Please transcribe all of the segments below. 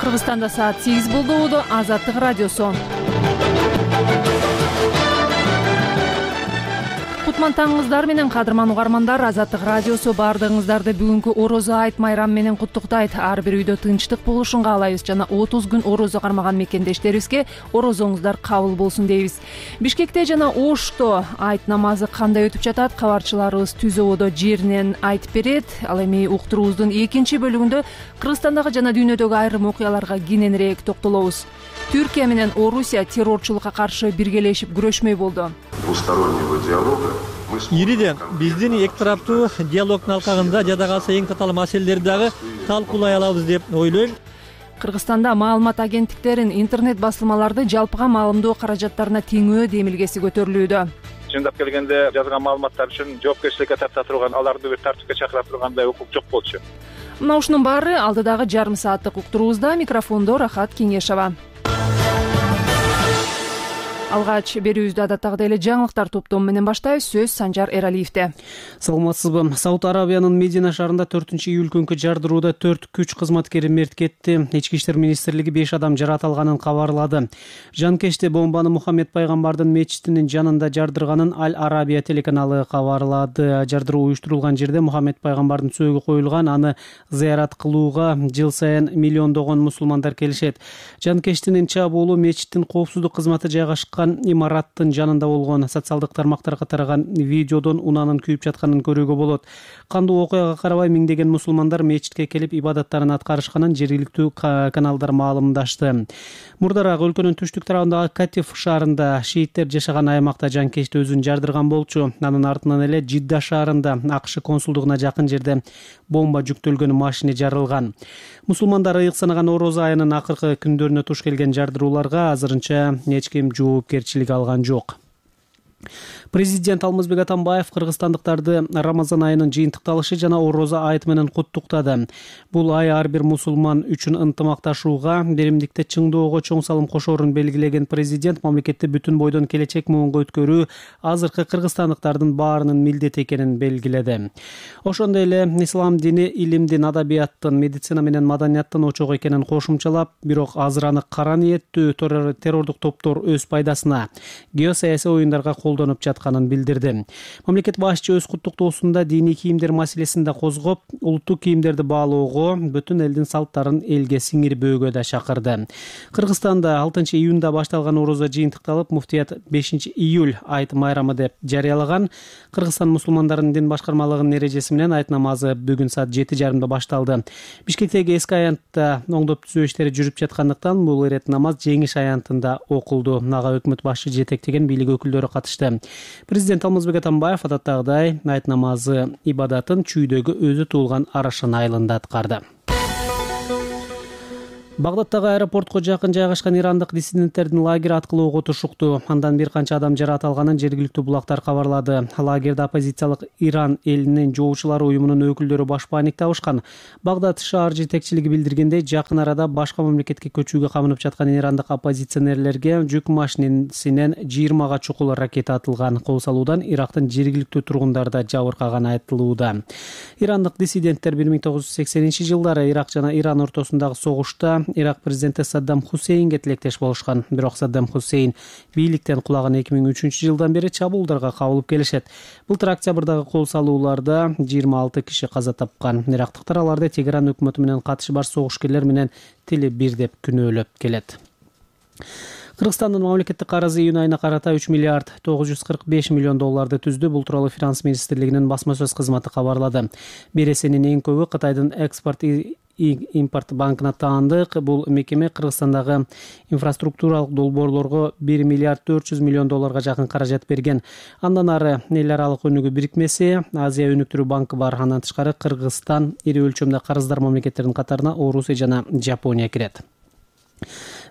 Кыргызстанда саат 8 болду. Азаттык радиосу. Кутман таңыңыздар менен кадырман угармандар. Азаттык радиосу баардыгыңыздарды бүгүнкү орозо айт майрам менен куттуктайт. Ар бир үйдө тынчтык болушун каалайбыз жана 30 күн орозо кармаган мекендештерибизге орозоңуздар кабыл болсун дейбиз. Бишкекте жана Ошто айт намазы кандай өтүп жатат? Кабарчыларыбыз түз ободо жеринен айтып берет. Ал эми уктуруубуздун экинчи бөлүгүндө Кыргызстандагы жана дүйнөдөгү айрым окуяларга кененирээк токтолобуз. Түркия менен Орусия террорчулукка каршы биргелешип күрөшмөй болду. Ириден биздин эки тараптуу диалогдун алкагында жада калса эң татаал маселелерди дагы талкуулай алабыз деп ойлойм. Кыргызстанда маалымат агенттиктерин интернет басылмаларды жалпыга маалымдоо каражаттарына теңөө демилгеси көтөрүлүүдө. Чындап келгенде жазган маалыматтар үчүн жоопкерчиликке тарта турган, аларды бир тартипке чакыра тургандай укук жок болчу. Мына ушунун баары алдыдагы жарым сааттык уктуруубузда. Микрофондо Рахат Кеңешова. Алгач берүүбүздү адаттагыдай эле жаңылыктар топтому менен баштайбыз. Сөз Санжар Эралиевде. Саламатсызбы? Сауд Арабиянын Медина шаарында 4-июль күнкү жардырууда 4 күч кызматкери мерт кетти. Ички иштер министрлиги 5 адам жаратылганын кабарлады. Жанкечте бомбаны Мухаммед пайгамбардын мечитинин жанында жардырганын Аль Арабия телеканалы кабарлады. Жардыруу уюштурулган жерде Мухаммед пайгамбардын сөөгү коюлган, аны зыярат кылууга жыл сайын миллиондогон мусулмандар келишет. Жанкечтин чабуулу мечиттин коопсуздук кызматы жайгашкан имараттын жанында болгон. Социалдык тармактарга тараган видеодон унаанын күйүп жатканын көрүүгө болот. Кандуу окуяга карабай миңдеген мусулмандар мечитке келип ибадаттарын аткарышканын жергиликтүү каналдар маалымдашты. Мурдараак өлкөнүн түштүк тарабындагы Катиф шаарында шииттер жашаган аймакта жанкечти өзүн жардырган болчу. Анын артынан эле Жидда шаарында АКШ консулдугуна жакын жерде бомба жүктөлгөн машина жарылган. Мусулмандар ыйык санаган орозо айынын акыркы күндөрүнө туш келген жардырууларга азырынча эч ким жоопкерчилик алган жок. Президент Алмазбек Атамбаев кыргызстандыктарды Рамазан айынын жыйынтыкталышы жана орозо айты менен куттуктады. Бул ай ар бир мусулман үчүн ынтымакташууга, беримдикте чыңдоого чоң салым кошоорун белгилеген президент мамлекетти бүтүн бойдон келечек муунга өткөрүү азыркы кыргызстандыктардын баарынын милдети экенин белгиледи. Ошондой эле ислам дини илимдин, адабияттын, медицина менен маданияттын очогу экенин кошумчалап, бирок азыр аны кара ниеттүү террордук топтор өз пайдасына геосаясий оюндарга колдонуп жатканын билдирди. Мамлекет башчы өз куттуктоосунда диний кийимдер маселесин да козгоп, улуттук кийимдерди баалоого, бүтүн элдин салттарын элге сиңирбөөгө да чакырды. Кыргызстанда 6-июнда башталган орозо жыйынтыкталып, муфтият 5-июль айт майрамы деп жарыялаган. Кыргызстан мусулмандарынын дин башкармалыгынын эрежеси менен айт намазы бүгүн саат 7:30 башталды. Бишкектеги эски аянтта оңдоп түзөө иштери жүрүп жаткандыктан бул ирет намаз Жеңиш аянтында окулду. Ага өкмөт башчы жетектеген бийлик өкүлдөрү катышты. Президент Алмазбек Атамбаев адаттагыдай айт намазы ибадатын чүйдөгү өзү туулган Арашан айылында аткарды. Багдадтагы аэропортко жакын жайгашкан ирандык диссиденттердин лагери аткылоого тушукту. Андан бир канча адам жаракат алганын жергиликтүү булактар кабарлады. Лагерде оппозициялык Иран элинин жоочулары уюмунун өкүлдөрү баш паник табышкан. Багдад шаар жетекчилиги билдиргендей, жакын арада башка мамлекетке көчүүгө камынып жаткан ирандык оппозиционерлерге жүк машинесинен 20 чукул ракета атылган. Кол салуудан Ирактын жергиликтүү тургундары да жабыркаганы айтылууда. Ирандык диссиденттер 1980-жылдары Ирак жана Иран ортосундагы согушта Ирак президенти Саддам Хусейнге тилектеш болушкан. Бирок Саддам Хусейн бийликтен кулаган 2003-жылдан бери чабуулдарга кабылып келишет. Былтыр октябрдагы кол салууларда 26 киши каза тапкан. Ирактыктар аларды Тегеран өкмөтү менен катышы бар согушкерлер менен тили бир деп күнөөлөп келет. Кыргызстандын мамлекеттик карызы июнь айына карата 3 миллиард 945 миллион долларды түздү. Бул тууралуу Финанс министрлигинин басма сөз кызматы кабарлады. Бересенин эң көбү Кытайдын экспорт импорт банкына таандык. Бул мекеме Кыргызстандагы инфраструктуралык долбоорлорго 1 миллиард 400 миллион долларга жакын каражат берген. Андан ары эл аралык өнүгүү бирикмеси, Азия өнүктүрүү банкы бар. Андан тышкары Кыргызстан ири өлчөмдө карыздар мамлекеттердин катарына Орусия жана Жапония кирет.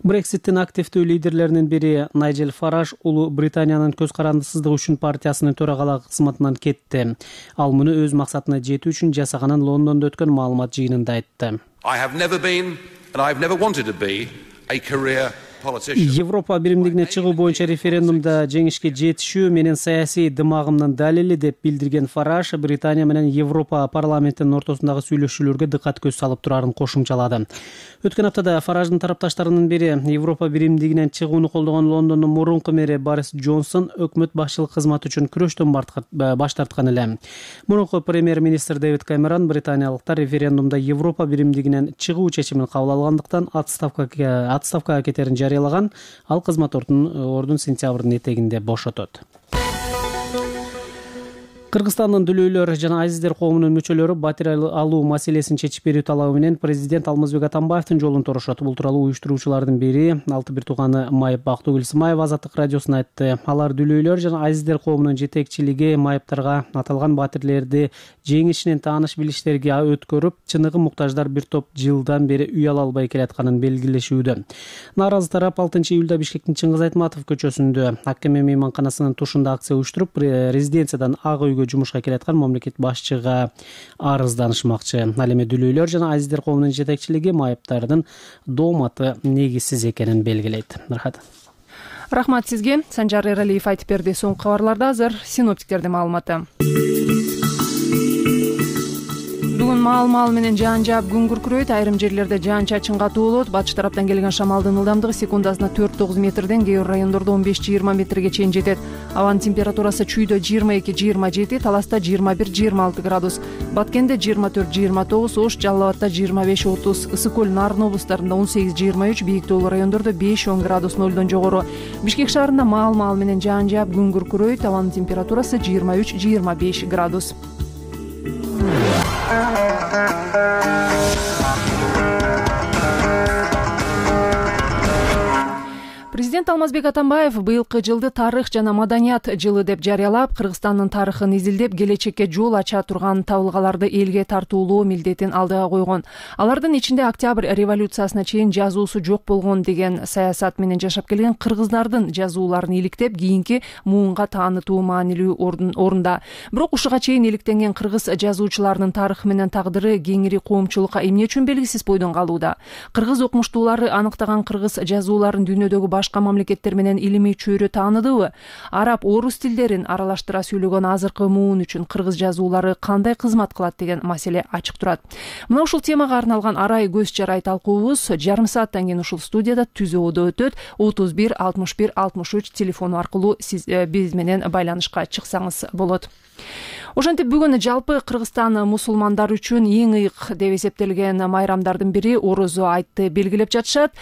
Брекситтин активдүү лидерлеринин бири Найджел Фараж Улуу Британиянын көз карандысыздыгы үчүн партиясынын төрагалык кызматынан кетти. Ал муну өз максатына жетүү үчүн жасаганын Лондондо өткөн маалымат жыйынында айтты. I have never been and I've never wanted to be a career Европа биримдигине чыгуу боюнча референдумда жеңишке жетишүү менин саясий дымагымдын далили деп билдирген Фараж Британия менен Европа парламентинин ортосундагы сүйлөшүүлөргө дыккат көз салып турарын кошумчалады. Өткөн аптада Фараждын тарапташтарынын бири Европа биримдигинен чыгууну колдогон Лондондун мурунку мэри Борис Джонсон өкмөт башчылык кызматы үчүн күрөштөн баш тарткан эле. Мурунку премьер-министр Дэвид Камерон британиялыктар референдумда Европа биримдигинен чыгуу чечимин кабыл алгандыктан отставкага кетерин жарыялаган. Ал кызмат ордун сентябрдын этегинде бошотот. Кыргызстандын дүлөйлөр жана азиздер коомунун мүчөлөрү батир алуу маселесин чечип берүү талабы менен президент Алмазбек Атамбаевдин жолун торушат. Бул тууралуу уюштуруучулардын бири алты бир тууганы Майып Актыгүл Сымаева Азаттык радиосуна айтты. Алар дүлөйлөр жана азиздер коомунун жетекчилиги майыптарга аталган батирлерди жеңишинен тааныш билиштерге өткөрүп, чыныгы муктаждар бир топ жылдан бери үй ала албай келатканын белгилешүүдө. Нааразы тарап 6-июлда Бишкектин Чыңгыз Айтматов көчөсүндө Аккеме мейманканасынын тушунда акция уюштуруп, резиденциядан Ак үйгө жумушка келаткан мамлекет башчыга арызданышмакчы. Ал эми дүлөйлөр жана азиздер коомунун жетекчилиги майыптардын дооматы негизсиз экенин белгилейт. Рахмат сизге. Санжар Эралиев айтып берди. Соңку кабарларда азыр синоптиктердин маалыматы. Бүгүн маал менен жаан жаап күн күркүрөйт. Айрым жерлерде жаан чачын катуу болот. Батыш тараптан келген шамалдын ылдамдыгы секундасына 4-9 метрден, кээ бир райондордо 15-20 метрге чейин жетет. Абанын температурасы чүйдө 22-27, Таласта 21-26 градус, Баткенде 24-29, Ош, Жалал Абадта 25-30, Ысык көл, Нарын облустарында 18-23, бийик тоолуу райондордо 5-10 градус нөлдөн жогору. Бишкек шаарында маал менен жаан жаап күн күркүрөйт. Абанын температурасы 23-25 градус. Президент Алмазбек Атамбаев быйылкы жылды тарых жана маданият жылы деп жарыялап, Кыргызстандын тарыхын изилдеп, келечекке жол ача турган табылгаларды элге тартуулоо милдетин алдыга койгон. Алардын ичинде Октябрь революциясына чейин жазуусу жок болгон деген саясат менен жашап келген кыргыздардын жазууларын иликтеп, кийинки муунга таанытуу маанилүү орунда. Бирок ушуга чейин иликтенген кыргыз жазуучуларынын тарыхы менен тагдыры кеңири коомчулукка эмне үчүн белгисиз бойдон калууда? Кыргыз окумуштуулары аныктаган кыргыз жазууларын дүйнөдөгү башка мамлекеттер менен илимий чөйрө тааныдыбы? Араб, орус тилдерин аралаштыра сүйлөгөн азыркы муун үчүн кыргыз жазуулары кандай кызмат кылат деген маселе ачык турат. Мына ушул темага арналган арай көз жарай талкуубуз жарым сааттан кийин ушул студияда түзөөдө өтөт. 31 61 63 телефону аркылуу сиз биз менен байланышка чыксаңыз болот. Ошентип бүгүн жалпы Кыргызстан мусулмандары үчүн эң ыйык деп эсептелген майрамдардын бири орозо айтты белгилеп жатышат.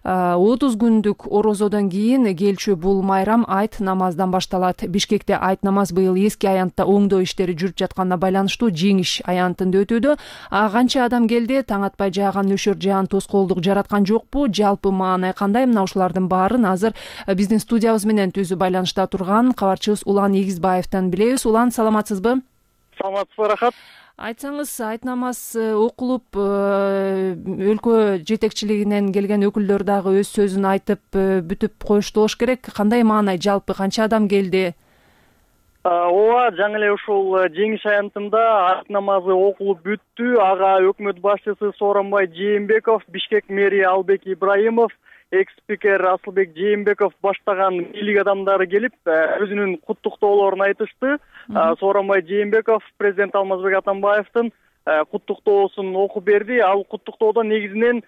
30 күндүк орозодон кийин келчү бул майрам айт намаздан башталат. Бишкекте айт намаз быйыл эски аянтта оңдоо иштери жүрүп жатканына байланыштуу жеңиш аянтында өтүүдө. Канча адам келди? Таң атпай жааган нөшөр жаан тоскоолдук жараткан жокпу? Жалпы маанай кандай? Мына ушулардын баарын азыр биздин студиябыз менен түзүү байланышта турган кабарчыбыз Улан Эгизбаевден билебиз. Улан, саламатсызбы? Саламатсызбы, рахат. Айтсаңыз, айт намаз окулуп, өлкө жетекчилигинен келген өкүлдөр дагы өз сөзүн айтып бүтүп коюшту болуш керек. Кандай маанай жалпы, канча адам келди? Ооба, жаңы эле ушул жеңиш аянтында айт намазы окулуп бүттү. Ага өкмөт башчысы Сооронбай Жээнбеков, Бишкек мэри Албек Ибраимов, экс-спикер Асылбек Жээнбеков баштаган бийлик адамдары келип, өзүнүн куттуктоолорун айтышты. Сооронбай Жээнбеков президент Алмазбек Атамбаевдин куттуктоосун окуп берди. Ал куттуктоодо негизинен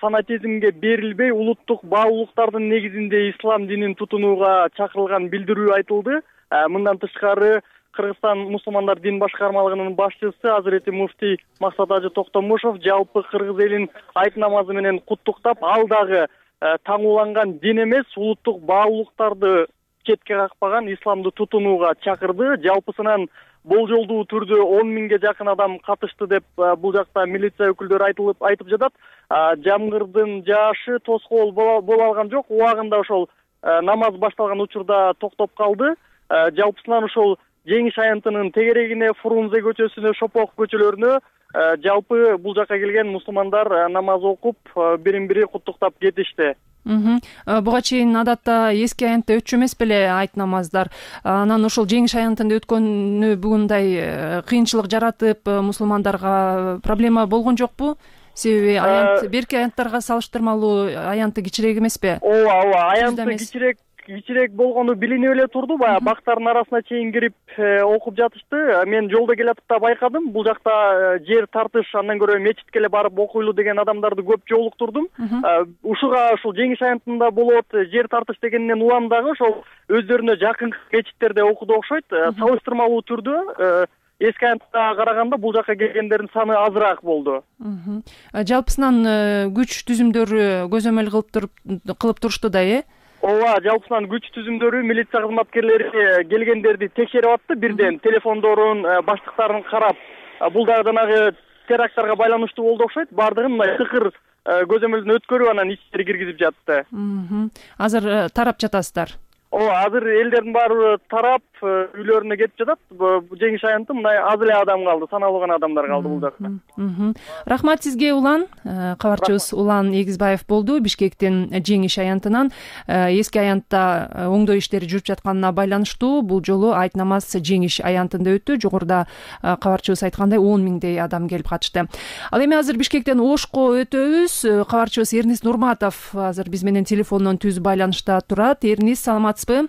фанатизмге берилбей, улуттук баалуулуктардын негизинде ислам динин тутунууга чакырылган билдирүү айтылды. Мындан тышкары Кыргызстан мусулмандар дин башкармалыгынын башчысы Азирети муфтий Максат Ажы Токтомушов жалпы кыргыз элин айт намазы менен куттуктап, ал дагы таңууланган дин эмес, улуттук баалуулуктарды четке какпаган исламды тутунууга чакырды. Жалпысынан болжолдуу түрдө 10 миңге жакын адам катышты деп бул жакта милиция өкүлдөрү айтып жатат. Жамгырдын жаашы тоскоол боло алган жок. Убагында ошол намаз башталган учурда токтоп калды. Жалпысынан ошол жеңиш аянтынын тегерегине, Фрунзе көчөсүнө, Шопок көчөлөрүнө жалпы бул жака келген мусулмандар намаз окуп, бирин-бири куттуктап кетишти. Буга чейин адатта эски аянтта өтчү эмес беле айт намаздар. Анан ошол жеңиш аянтында өткөнү бүгүндай кыйынчылык жаратып, мусулмандарга проблема болгон жокпу? Себеби аянт берки аянттарга салыштырмалуу аянты кичирээк эмеспи? Ооба, аянты кичирээк болгону билинип эле турду. Баягы бактардын арасына чейин кирип окуп жатышты. Мен жолдо келатып да байкадым. Бул жакта жер тартыш, андан көрө мечитке эле барып окуйлу деген адамдарды көп жолуктурдум. Ушуга ушул Жеңиш аянтында болот жер тартыш дегенден улам дагы ошол өздөрүнө жакын мечиттерде окуду окшойт. Салыштырмалуу түрдө эски аянтка караганда бул жака келгендердин саны азыраак болду. Жалпысынан күч түзүмдөрү көзөмөл кылып турушту да, Ооба, жалпысынан күч түзүмдөрү, милиция кызматкерлери келгендерди текшерип атты. Бирден телефондорун, баштыктарын карап, бул дагы жанагы теракттарга байланыштуу болду окшойт. Бардыгын мындай тыкыр көзөмөлдөн өткөрүп анан ичкери киргизип жатты. Азыр тарап жатасыздар? Ооба, азыр элдердин баары тарап үйлөрүнө кетип жатат. Жеңиш аянты мындай аз эле адам калды, саналуу гана адамдар калды бул жакта. Рахмат сизге, Улан. Кабарчыбыз Улан Эгизбаев болду, Бишкектин Жеңиш аянтынан. Эски аянтта оңдоо иштери жүрүп жатканына байланыштуу бул жолу айт намаз Жеңиш аянтында өттү. Жогоруда кабарчыбыз айткандай 10 миңдей адам келип катышты. Ал эми азыр Бишкектен Ошко өтөбүз. Кабарчыбыз Эрнис Нурматов азыр биз менен телефондон түз байланышта турат. Эрнис, саламатсызбы?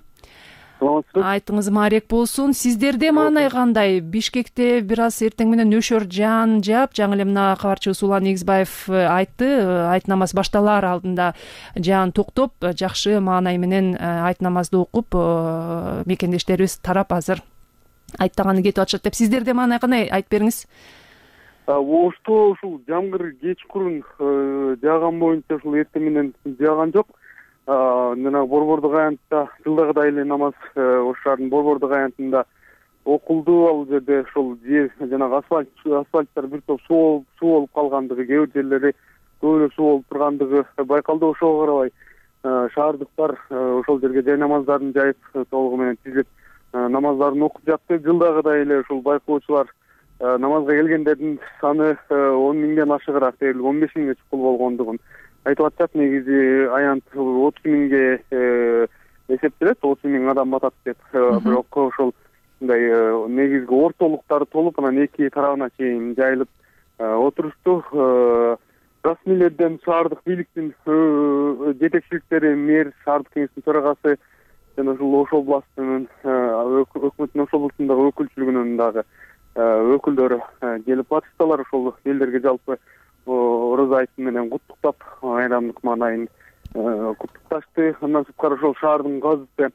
Айтыңыз маарек болсун. Сиздерде маанай кандай? Бишкекте бир аз эртең менен нөшөр жаан жаап, жаңы эле мына кабарчыбыз Улан Эгизбаев айтты, айт намаз башталаар алдында жаан токтоп, жакшы маанай менен айт намазды окуп, мекендештерибиз тарап азыр айттаганы кетип атышат деп. Сиздерде маанай кандай? Айтып бериңиз. Ошто ушул жамгыр кечкурун жааган боюнча ушул эртең менен жааган жок. Жана Борбордук аянтта жылдагыдай эле намаз ош шаарынын Борбордук аянтында окулду. Ал жерде ошол жер жанагы асфальттар бир топ суу болуп калгандыгы, кээ бир жерлери көп эле суу болуп тургандыгы байкалды. Ошого карабай шаардыктар ошол жерге жай намаздарын жайып, толугу менен тизилип намаздарын окуп жатты. Жылдагыдай эле ушул байкоочулар намазга келгендердин саны 10 миңден ашыгыраак, дээрлик 15 миңге чукул болгондугун айтып атышат. Негизи аянт 30 миңге эсептелет, 30 миң адам батат деп. Бирок ошол мындай негизги ортолуктары толуп, анан эки тарабына чейин жайылып отурушту. Расмийлерден шаардык бийликтин жетекчиликтери, мэр, шаардык кеңештин төрагасы жана ушул Ош областынын өкмөттүн Ош областындагы өкүлчүлүгүнүн дагы өкүлдөрү келип батыштылар. Ошол элдерге жалпы орозо айты менен куттуктап, айрамдык маанайын куттукташты. Андан сырткары ошол шаардын газыты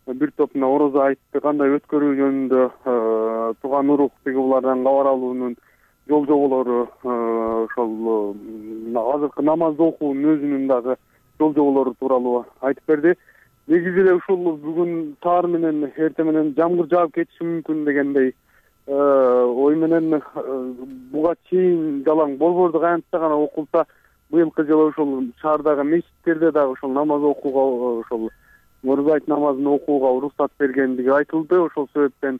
бир топ мына орозо айтты кандай өткөрүү жөнүндө Туган Урук тиги булардан кабар алуунун жол жоболору, ошол азыркы намазды окуунун өзүнүн дагы жол жоболору тууралуу айтып берди. Негизи эле ушул бүгүн таар менен эртең менен жамгыр жаап кетиши мүмкүн дегендей ой менен буга чейин жалаң Борбордук аянтта гана окулса, быйылкы жылы ошол шаардагы мечиттерде дагы ошол намаз окууга, ошол орозо айт намазын окууга уруксат бергендиги айтылды. Ошол себептен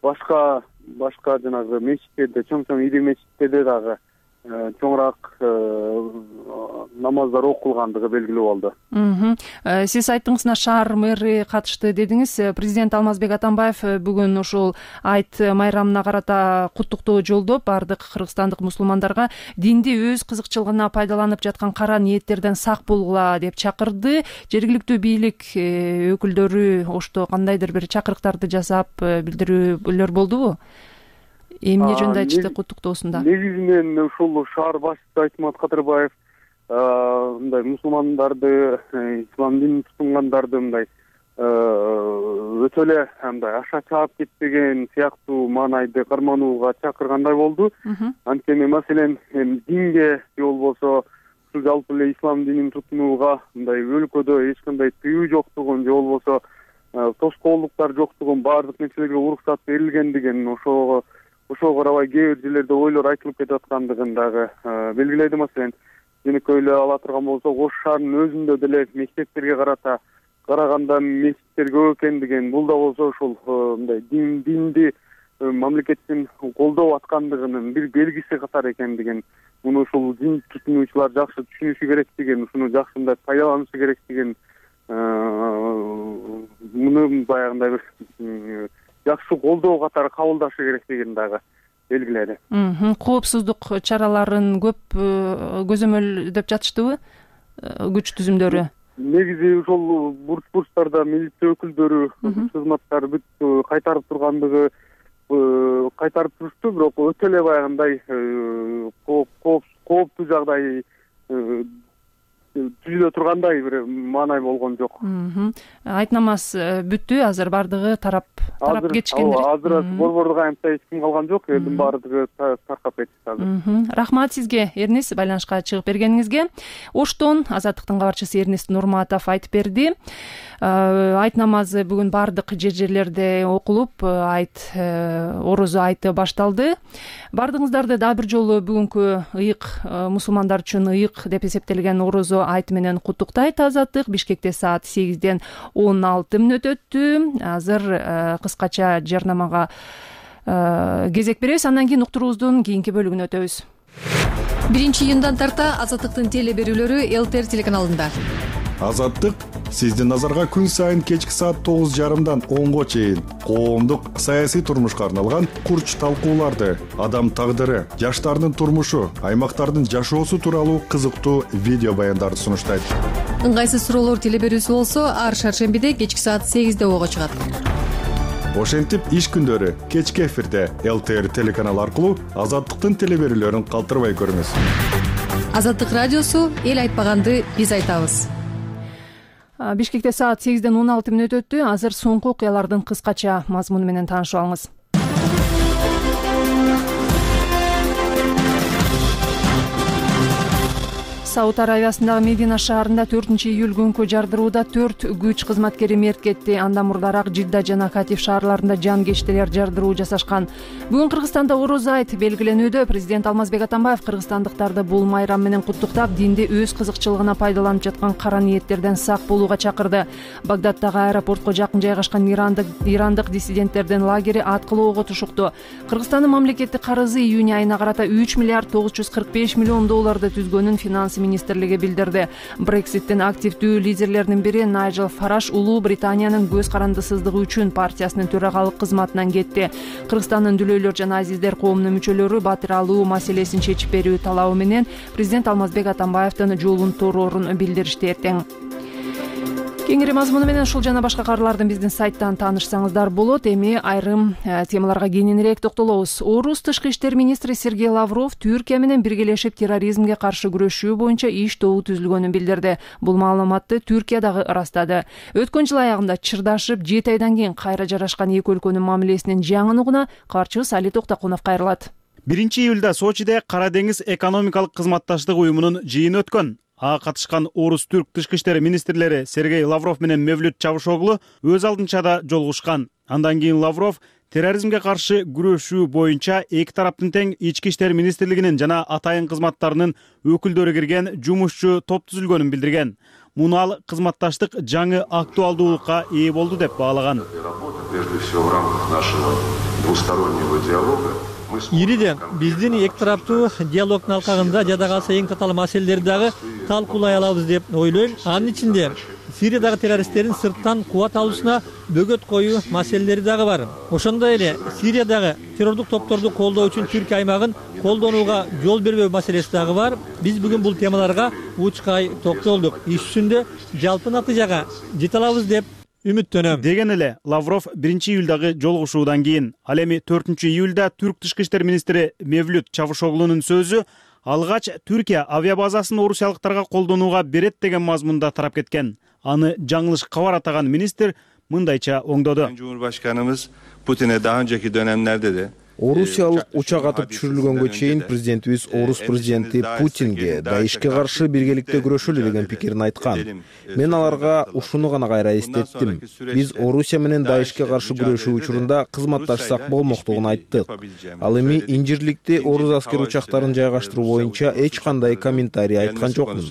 башка жанагы мечиттерде, чоң ири мечиттерде дагы чоңураак намаздар окулгандыгы белгилүү болду. Сиз айттыңыз, шаар мэри катышты дедиңиз. Президент Алмазбек Атамбаев бүгүн ушул айт майрамына карата куттуктоо жолдоп, бардык кыргызстандык мусулмандарга динди өз кызыкчылыгына пайдаланып жаткан кара ниеттерден сак болгула деп чакырды. Жергиликтүү бийлик өкүлдөрү Ошто кандайдыр бир чакырыктарды жасап, билдирүүлөр болдубу? Эмне жөнүндө айтышты куттуктоосунда? Негизинен ушул шаар башчысы Айтмат Кадырбаев мындай мусулмандарды, ислам динин тутунгандарды мындай өтө эле мындай аша чаап кетпеген сыяктуу маанайды карманууга чакыргандай болду. Анткени маселен динге же болбосо ушул жалпы эле ислам динин тутунууга мындай өлкөдө эч кандай тыюу жоктугун же болбосо тоскоолдуктар жоктугун, баардык нерселерге уруксат берилгендигин, ошого карабай кээ бир жерлерде ойлор айтылып кетип аткандыгын дагы белгиледи. Маселен, жөнөкөй эле ала турган болсок, Ош шаарынын өзүндө деле мектептерге караганда мечиттер көп экендигин, бул да болсо ушул мындай динди мамлекеттин колдоп аткандыгынын бир белгиси катары экендигин, муну ушул дин тутунуучулар жакшы түшүнүшү керектигин, ушуну жакшы мындай пайдаланышы керектигин, муну баягындай бир жакшы колдоо катары кабылдашы керектигин дагы белгиледи. Коопсуздук чараларын көп көзөмөлдөп жатыштыбы күч түзүмдөрү? Негизи ошол бурчтарда милиция өкүлдөрү, кызматтар бүт кайтарып тургандыгы кайтарып турушту, бирок өтө эле баягындай кооптуу жагдай түзүлө тургандай бир маанай болгон жок. Айт намаз бүттү, азыр баардыгы тарап кетишкендир. Азыр борбордук аянтта эч ким калган жок, элдин баардыгы таркап кетти азыр. Рахмат сизге, Эрнест, байланышка чыгып бергениңизге. Оштон Азаттыктын кабарчысы Эрнест Нурматов айтып берди. Айт намазы бүгүн баардык жерлерде окулуп, орозо айты башталды. Баардыгыңыздарды дагы бир жолу бүгүнкү ыйык, мусулмандар үчүн ыйык деп эсептелген орозо айты менен куттуктайт Азаттык. Бишкекте саат 8-ден 16 өттү. Азыр кыскача жарнамага кезек беребиз, андан кийин уктуруубуздун кийинки бөлүгүнө өтөбүз. 1-июндан тарта Азаттыктын теле берүүлөрү ЛТР телеканалында. Азаттык сиздин назарга күн сайын кечки саат 9:30дан 10го чейин коомдук саясий турмушка арналган курч талкууларды, адам тагдыры, жаштардын турмушу, аймактардын жашоосу тууралуу кызыктуу видео баяндарды сунуштайт. Ыңгайсыз суроолор теле берүүсү болсо, ар шаршембиде кечки саат 8-де ого чыгат. Ошентип иш күндөрү кечки эфирде ЛТР телеканалы аркылуу Азаттыктын теле берүүлөрүн калтырбай көрүңүз. Азаттык радиосу эл айтпаганды биз айтабыз. Бишкекте саат 8-ден 16 өттү. Азыр соңку окуялардын кыскача мазмуну менен таанышып алыңыз. Сауд Аравиясындагы Медина шаарында 4-июль күнкү жардырууда 4 күч кызматкери мерт кетти. Андан мурдараак Жидда жана Катиф шаарларында жангечтелер жардыруу жасашкан. Бүгүн Кыргызстанда орозо айт белгиленүүдө. Президент Алмазбек Атамбаев кыргызстандыктарды бул майрам менен куттуктап, динде өз кызыкчылыгына пайдаланып жаткан кара ниеттерден сак болууга чакырды. Багдаддагы аэропортко жакын жайгашкан ирандык диссиденттердин лагери аткылоого тушукту. Кыргызстандын мамлекеттик карызы июнь айына карата 3 миллиард 945 миллион долларды түзгөнүн финанс министрлиги билдирди. Брекситтин активдүү лидерлеринин бири Найджел Фараш Улуу Британиянын көз карандысыздыгы үчүн партиясынын төрагалык кызматынан кетти. Кыргызстандын Дүлөйлөр жана Азиздер коомунун мүчөлөрү батир алуу маселесин чечип берүү талабы менен президент Алмазбек Атамбаевдин жолун торорун билдиришти эртең. Кеңири мазмуну менен ушул жана башка кабарлардын биздин сайттан таанышсаңыздар болот. Эми айрым темаларга кененирээк токтолобуз. Орус тышкы иштер министри Сергей Лавров Түркия менен биргелешип терроризмге каршы күрөшүү боюнча иш тобу түзүлгөнүн билдирди. Бул маалыматты Түркия дагы ырастады. Өткөн жыл аягында чырдашып 7 айдан кийин кайра жарашкан эки өлкөнүн мамилесинин жаңынугуна кабарчыбыз Али Токтокунов кайрылат. 1-июлда Сочиде Кара деңиз экономикалык кызматташтык уюмунун жыйыны өткөн. Ага катышкан орус-түрк тышкы иштер министрлери Сергей Лавров менен Мевлют Чавушоглу өз алдынча да жолугушкан. Андан кийин Лавров терроризмге каршы күрөшүү боюнча эки тараптын тең ички иштер министрлигинин жана атайын кызматтарынын өкүлдөрү кирген жумушчу топ түзүлгөнүн билдирген. Муну ал кызматташтык жаңы актуалдуулукка ээ болду деп баалаган. Ириде биздин эки тараптуу диалогдун алкагында жада калса эң татаал маселелерди дагы талкуулай алабыз деп ойлойм. Анын ичинде Сириядагы террористтердин сырттан кубат алуусуна бөгөт коюу маселелери дагы бар. Ошондой эле Сириядагы террордук топторду колдоо үчүн Түркия аймагын колдонууга жол бербөө маселеси дагы бар. Биз бүгүн бул темаларга учкай токтолдук. Иш жүзүндө жалпы натыйжага жете алабыз деп үмүттөнөм деген эле Лавров 1-июлдагы жолугушуудан кийин. Ал эми 4-июлда түрк тышкы иштер министри Мевлют Чавушоглунун сөзү алгач Түркия авиабазасын орусиялыктарга колдонууга берет деген мазмунда тарап кеткен. Аны жаңылыш кабар атаган министр мындайча оңдоду. Cumhurbaşkanımız Putin'e daha önceki dönemlerde de Орусиялык учак атып түшүрүлгөнгө чейин президентибиз орус президенти Путинге даишке каршы биргеликте күрөшөлү деген пикирин айткан. Мен аларга ушуну гана кайра эстеттим. Биз Орусия менен даишке каршы күрөшүү учурунда кызматташсак болмоктугун айттык. Ал эми инжирликте орус аскер учактарын жайгаштыруу боюнча эч кандай комментарий айткан жокмун.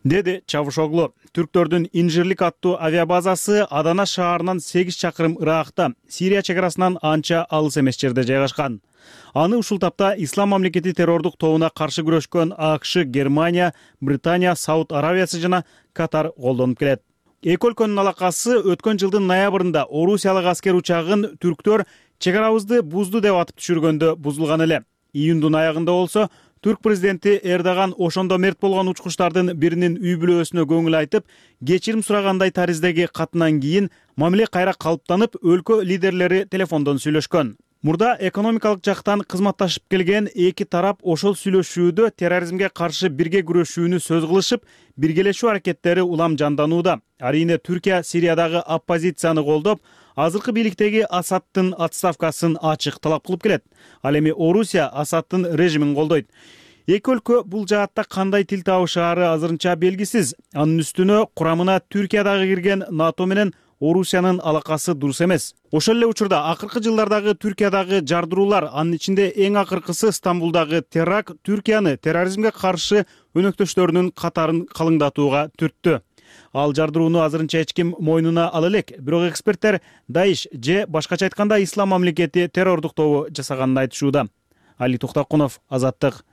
Деди Чавушоглу. Түрктөрдүн Инжирлик аттуу авиабазасы Адана шаарынан 8 чакырым ыракта, Сирия чек арасынан анча алыс эмес жерде жайгашкан. Аны ушул тапта Ислам мамлекети террордук тобуна каршы күрөшкөн АКШ, Германия, Британия, Сауд Аравиясы жана Катар колдонуп келет. Эки өлкөнүн алакасы өткөн жылдын ноябрында орусиялык аскер учагын түрктөр Чек арабызды бузду деп атып түшүргөндө бузулган эле. Июндун аягында болсо Түрк президенти Эрдоган ошондо мерт болгон учкучтардын биринин үй бүлөсүнө көңүл айтып, кечирим сурагандай тариздеги катынан кийин мамиле кайра калыптанып, өлкө лидерлери телефондон сүйлөшкөн. Мурда экономикалык жактан кызматташып келген эки тарап ошол сүйлөшүүдө терроризмге каршы бирге күрөшүүнү сөз кылышып, биргелешүү аракеттери улам жанданууда. Арийне Түркия Сириядагы оппозицияны колдоп, азыркы бийликтеги Асадтын отставкасын ачык талап кылып келет. Ал эми Орусия Асадтын режимин колдойт. Эки өлкө бул жаатта кандай тил табышаары азырынча белгисиз. Анын үстүнө курамына Түркиядагы кирген НАТО менен Орусиянын алакасы дурус эмес. Ошол эле учурда акыркы жылдардагы Түркиядагы жардыруулар, анын ичинде эң акыркысы Стамбулдагы теракт, Түркияны терроризмге каршы өнөктөштөрүнүн катарын калыңдатууга түрттү. Ал жардырууну азырынча эч ким мойнуна ала элек. Бирок эксперттер Даиш же башкача айтканда Ислам мамлекети террордук тобу жасаганын айтышууда. Али Токтокунов, Азаттык.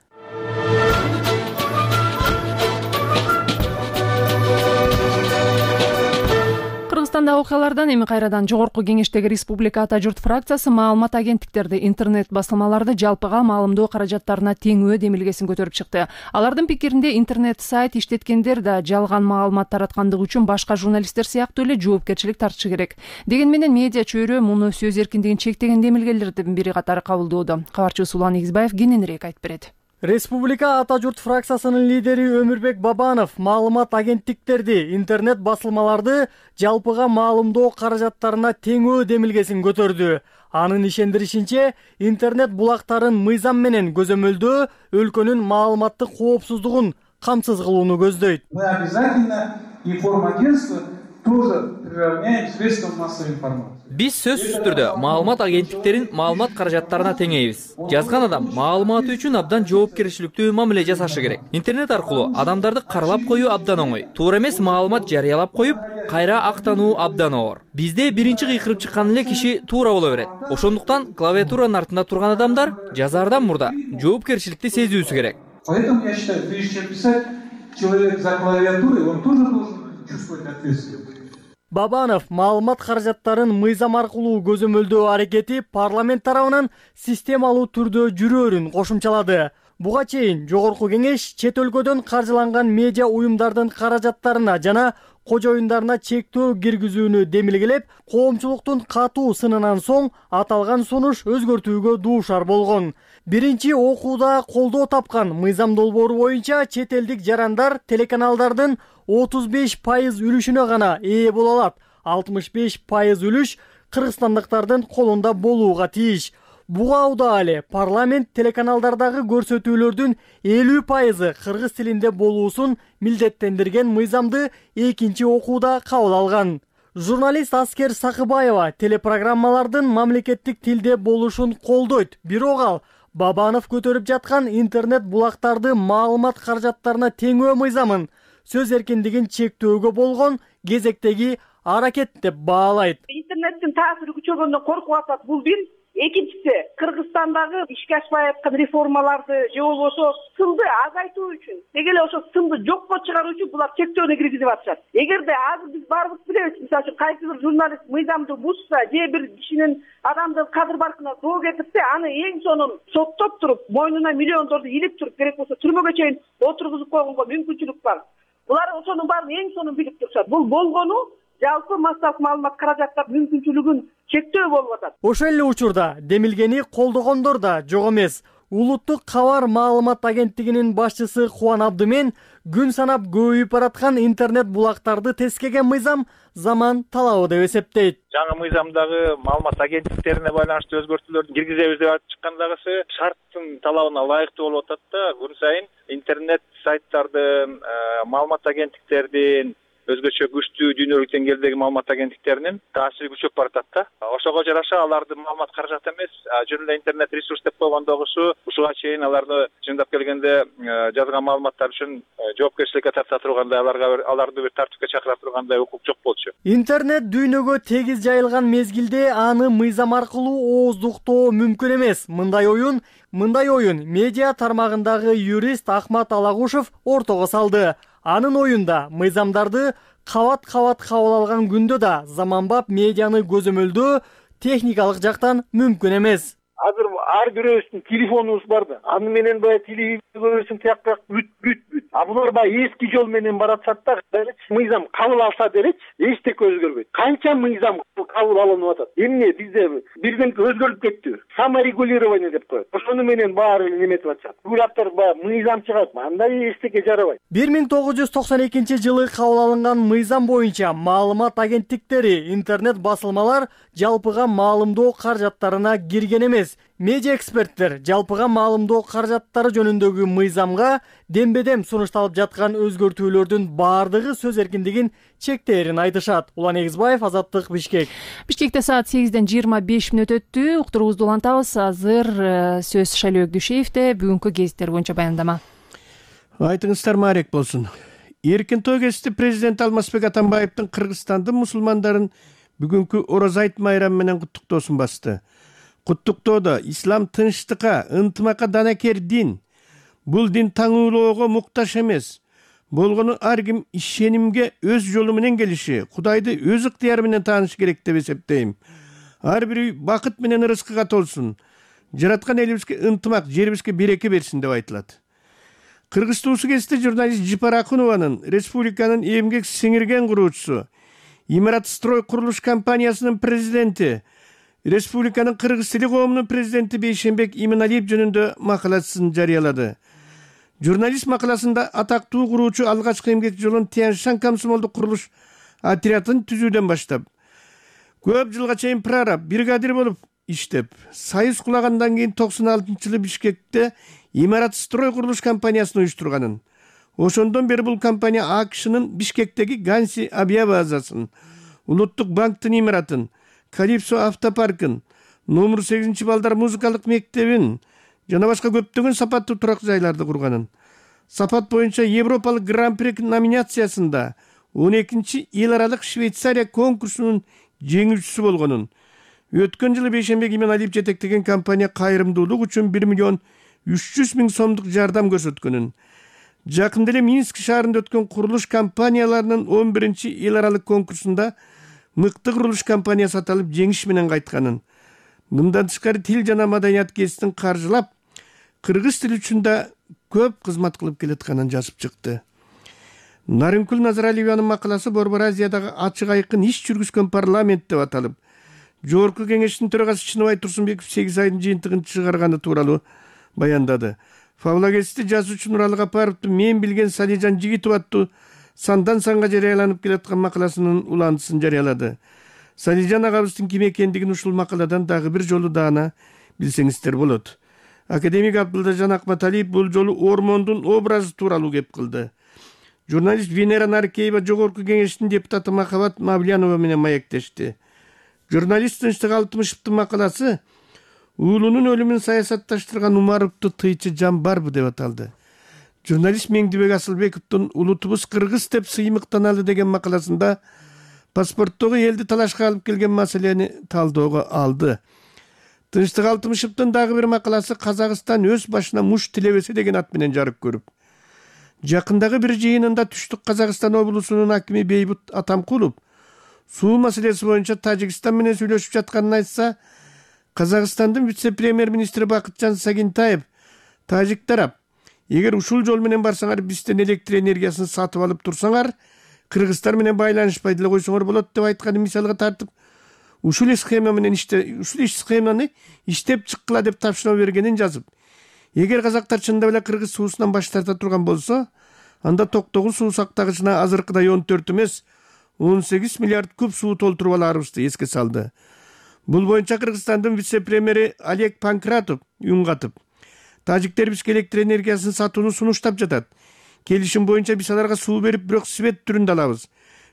Кыргызстандагы окуялардан эми кайрадан Жогорку Кеңештеги Республика Ата журт фракциясы маалымат агенттиктерди, интернет басылмаларды жалпыга маалымдоо каражаттарына теңөө демилгесин көтөрүп чыкты. Алардын пикиринде интернет сайт иштеткендер да жалган маалымат тараткандыгы үчүн башка журналисттер сыяктуу эле жоопкерчилик тартышы керек. Дегени менен медиа чөйрө муну сөз эркиндигин чектеген демилгелердин бири катары кабылдоодо. Кабарчыбыз Улан Игизбаев кененирээк айтып берет. Республика Ата журт фракциясынын лидери Өмүрбек Бабанов маалымат агенттиктерди, интернет басылмаларды жалпыга маалымдоо каражаттарына теңөө демилгесин көтөрдү. Анын ишендиришинче, интернет булактарын мыйзам менен көзөмөлдөө өлкөнүн маалыматтык коопсуздугун камсыз кылууну көздөйт. Мы обязательно информагентство тоже приравняем средствам массовой информации. Биз сөзсүз түрдө маалымат агенттиктерин маалымат каражаттарына теңейбиз. Жазган адам маалыматы үчүн абдан жоопкерчиликтүү мамиле жасашы керек. Интернет аркылуу адамдарды каралап коюу абдан оңой. Туура эмес маалымат жарыялап коюп, кайра актануу абдан оор. Бизде биринчи кыйкырып чыккан эле киши туура боло берет. Ошондуктан клавиатуранын артында турган адамдар жазаардан мурда жоопкерчиликти сезүүсү керек. Поэтому я считаю, прежде чем писать, человек за клавиатурой, он тоже должен чувствовать ответственность. Бабанов маалымат каражаттарын мыйзам аркылуу көзөмөлдөө аракети парламент тарабынан системалуу түрдө жүрөөрүн кошумчалады. Буга чейин Жогорку Кеңеш чет өлкөдөн каржыланган медиа уюмдардын каражаттарына жана кожоюндарына чектөө киргизүүнү демилгелеп, коомчулуктун катуу сынынан соң аталган сунуш өзгөртүүгө дуушар болгон. Биринчи окууда колдоо тапкан мыйзам долбоору боюнча чет элдик жарандар телеканалдардын 35% үлүшүнө гана ээ боло алат. 65% үлүш кыргызстандыктардын колунда болууга тийиш. Буга уда эле парламент телеканалдардагы көрсөтүүлөрдүн 50% кыргыз тилинде болуусун милдеттендирген мыйзамды экинчи окууда кабыл алган. Журналист Аскер Сакыбаева телепрограммалардын мамлекеттик тилде болушун колдойт. Бирок ал Бабанов көтөрүп жаткан интернет булактарды маалымат каражаттарына теңөө мыйзамын сөз эркиндигин чектөөгө болгон кезектеги аракет деп баалайт. Интернеттин таасири күчөгөндөн коркуп атат, бул бир. Экинчиси, Кыргызстандагы ишке ашпай аткан реформаларды же болбосо сынды азайтуу үчүн, деги эле ошо сынды жокко чыгаруу үчүн булар чектөөнү киргизип атышат. Эгерде азыр биз баарыбыз билебиз, мисалы үчүн кайсы бир журналист мыйзамды бузса, же бир кишинин адамдын кадыр баркына зоо кетирсе, аны эң сонун соттоп туруп, мойнуна миллиондорду илип туруп, керек болсо түрмөгө чейин отургузуп койгонго мүмкүнчүлүк бар. Булар ошонун баарын эң сонун билип турушат. Бул болгону жалпы массалык маалымат каражаттар мүмкүнчүлүгүн чектөө болуп атат. Ошол эле учурда демилгени колдогондор да жок эмес. Улуттук кабар маалымат агенттигинин башчысы Кубан Абдымен күн санап көбөйүп бараткан интернет булактарды тескеген мыйзам заман талабы деп эсептейт. Жаңы мыйзамдагы маалымат агенттиктерине байланыштуу өзгөртүүлөрдү киргизебиз деп айтып чыккандагысы шарттын талабына ылайыктуу болуп атат да, күн сайын интернет сайттардын, маалымат агенттиктердин, өзгөчө күчтүү дүйнөлүк деңгээлдеги маалымат агенттиктеринин таасири күчөп баратат да. Ошого жараша алардын маалымат каражаты эмес, жөн эле интернет ресурс деп койгондогусу ушуга чейин аларды чындап келгенде жазган маалыматтар үчүн жоопкерчиликке тарта тургандай, аларды бир тартипке чакыра тургандай укук жок болчу. Интернет дүйнөгө тегиз жайылган мезгилде аны мыйзам аркылуу ооздуктоо мүмкүн эмес. Мындай оюн медиа тармагындагы юрист Ахмат Алагушев ортого салды. Анын оюнда мыйзамдарды кабат кабыл алган күндө да заманбап медианы көзөмөлдөө техникалык жактан мүмкүн эмес. Азыр ар бирөөбүздүн телефонубуз бар да. Аны менен баягы телевизор көрөсүң, тияк бүт. А булар баягы эски жол менен баратышат да. Мыйзам кабыл алса делечи, эчтеке өзгөрбөйт. Канча мыйзам кабыл алынып атат. Эмне бизде бир күн өзгөрүп кетти. Саморегулирование деп коет. Ошону менен баары неметип атышат. Уйлаптыр баягы мыйзам чыгат. Андай эчтеке жарабайт. 1992-жылы кабыл алынган мыйзам боюнча маалымат агенттиктери, интернет басылмалар жалпыга маалымдоо каражаттарына кирген эмес. Медиа эксперттер жалпыга маалымдоо каражаттары жөнүндөгү мыйзамга дембедем сунушталып жаткан өзгөртүүлөрдүн баардыгы сөз эркиндигин чектээрин айтышат. Улан Эгизбаев, Азаттык, Бишкек. Бишкекте саат 8:25 өттү. Уктуруубузду улантабыз. Азыр сөз Шайлоо Дүйшеевде бүгүнкү гезиттер боюнча баяндама. Айтыңыздар маарек болсун. Эркин той кечти президент Алмазбек Атамбаевдин Кыргызстандын мусулмандарын бүгүнкү Орозо айт майрамы менен куттуктоосун басты. Куттуктоодо ислам тынчтыкка, ынтымакка данакер дин. Бул дин таңуулоого муктаж эмес. Болгону ар ким ишенимге өз жолу менен келиши, Кудайды өз ыктыяры менен таанышы керек деп эсептейм. Ар бир үй бакыт менен ырыскыга толсун. Жараткан элибизге ынтымак, жерибизге береке берсин деп айтылат. Кыргыз туусу кесте журналист Жипар Акунованын республиканын эмгек сиңирген куруучусу, Имарат строй курулуш компаниясынын президенти, республиканын кыргыз тили коомунун президенти Бейшенбек Иманалиев жөнүндө макаласын жарыялады. Журналист макаласында атактуу куруучу алгачкы эмгек жолун Тянь-Шань комсомолдук курулуш отрядын түзүүдөн баштап, көп жылга чейин прораб, бригадир болуп иштеп, союз кулагандан кийин 96-жылы Бишкекте Имарат строй курулуш компаниясын уюштурганын. Ошондон бери бул компания АКШнын Бишкектеги Ганси авиабазасын, Улуттук банктын имаратын, Калипсо автопаркын, номер 8 балдар музыкалык мектебин жана башка көптөгөн сапаттуу турак жайларды курганын. Сапат боюнча Европалык гран-при номинациясында 12-чи эл аралык Швейцария конкурсунун жеңүүчүсү болгонун. Өткөн жылы Бейшенбек Иманалиев жетектеген компания кайрымдуулук үчүн 1.300.000 сомдук жардам көрсөткөнүн. Жакында эле Минск шаарында өткөн курулуш компанияларынын 11-чи эл аралык конкурсунда мыкты курулуш компаниясы аталып жеңиш менен кайтканын. Мындан тышкары тил жана маданият кесиптин каржылап, кыргыз тили үчүн да көп кызмат кылып келатканын жазып чыкты. Нарынкүл Назаралиеванын макаласы Борбор Азиядагы ачык айкын иш жүргүзгөн парламент деп аталып, Жогорку кеңештин төрагасы Чыныбай Турсунбеков 8 айдын жыйынтыгын чыгарганы тууралуу баяндады. Фаблагести жазуучу Нуралы Капаровдун мен билген Салижан Жигитов аттуу сандан санга жарыяланып келаткан макаласынын уландысын жарыялады. Салижан агабыздын ким экендигин ушул макаладан дагы бир жолу даана билсеңиздер болот. Академик Абдылдажан Акматалиев бул жолу ормондун образы тууралуу кеп кылды. Журналист Венера Наркеева Жогорку кеңештин депутаты Махабат Мавлянова менен маектешти. Журналист Тынчтык Алтымышевдин макаласы уулунун өлүмүн саясатташтырган Умаровду тыйчы жан барбы деп аталды. Журналист Меңдибек Асылбековдун улутубуз кыргыз деп сыймыктаналы деген макаласында паспорттогу элди талашка алып келген маселени талоого алды. Тынчтык Алтымышевдин дагы бир макаласы Казакстан өз башына муш тилебесе деген ат менен жарык көрүп. Жакындагы бир жыйынында Түштүк Казакстан облусунун акими Бейбут Атамкулов суу маселеси боюнча Тажикстан менен сүйлөшүп жатканын айтса, Казакстандын вице-премьер-министри Бакытжан Сагинтаев тажик тарап, эгер ушул жол менен барсаңар, бизден электр энергиясын сатып алып турсаңар, кыргыздар менен байланышпай деле койсоңор болот деп айтканын мисалга тартып, ушул схеманы иштеп чыккыла деп тапшырма бергенин жазып, эгер казактар чындап эле кыргыз суусунан баш тарта турган болсо, анда Токтогул суу сактагычына азыркыдай 14 эмес, 18 миллиард куб суу толтуруп аларыбызды эске салды. Бул боюнча Кыргызстандын вице-премьери Олег Панкратов үн катып, тажиктер бизге электр энергиясын сатууну сунуштап жатат. Келишим боюнча биз аларга суу берип, бирок свет түрүндө алабыз.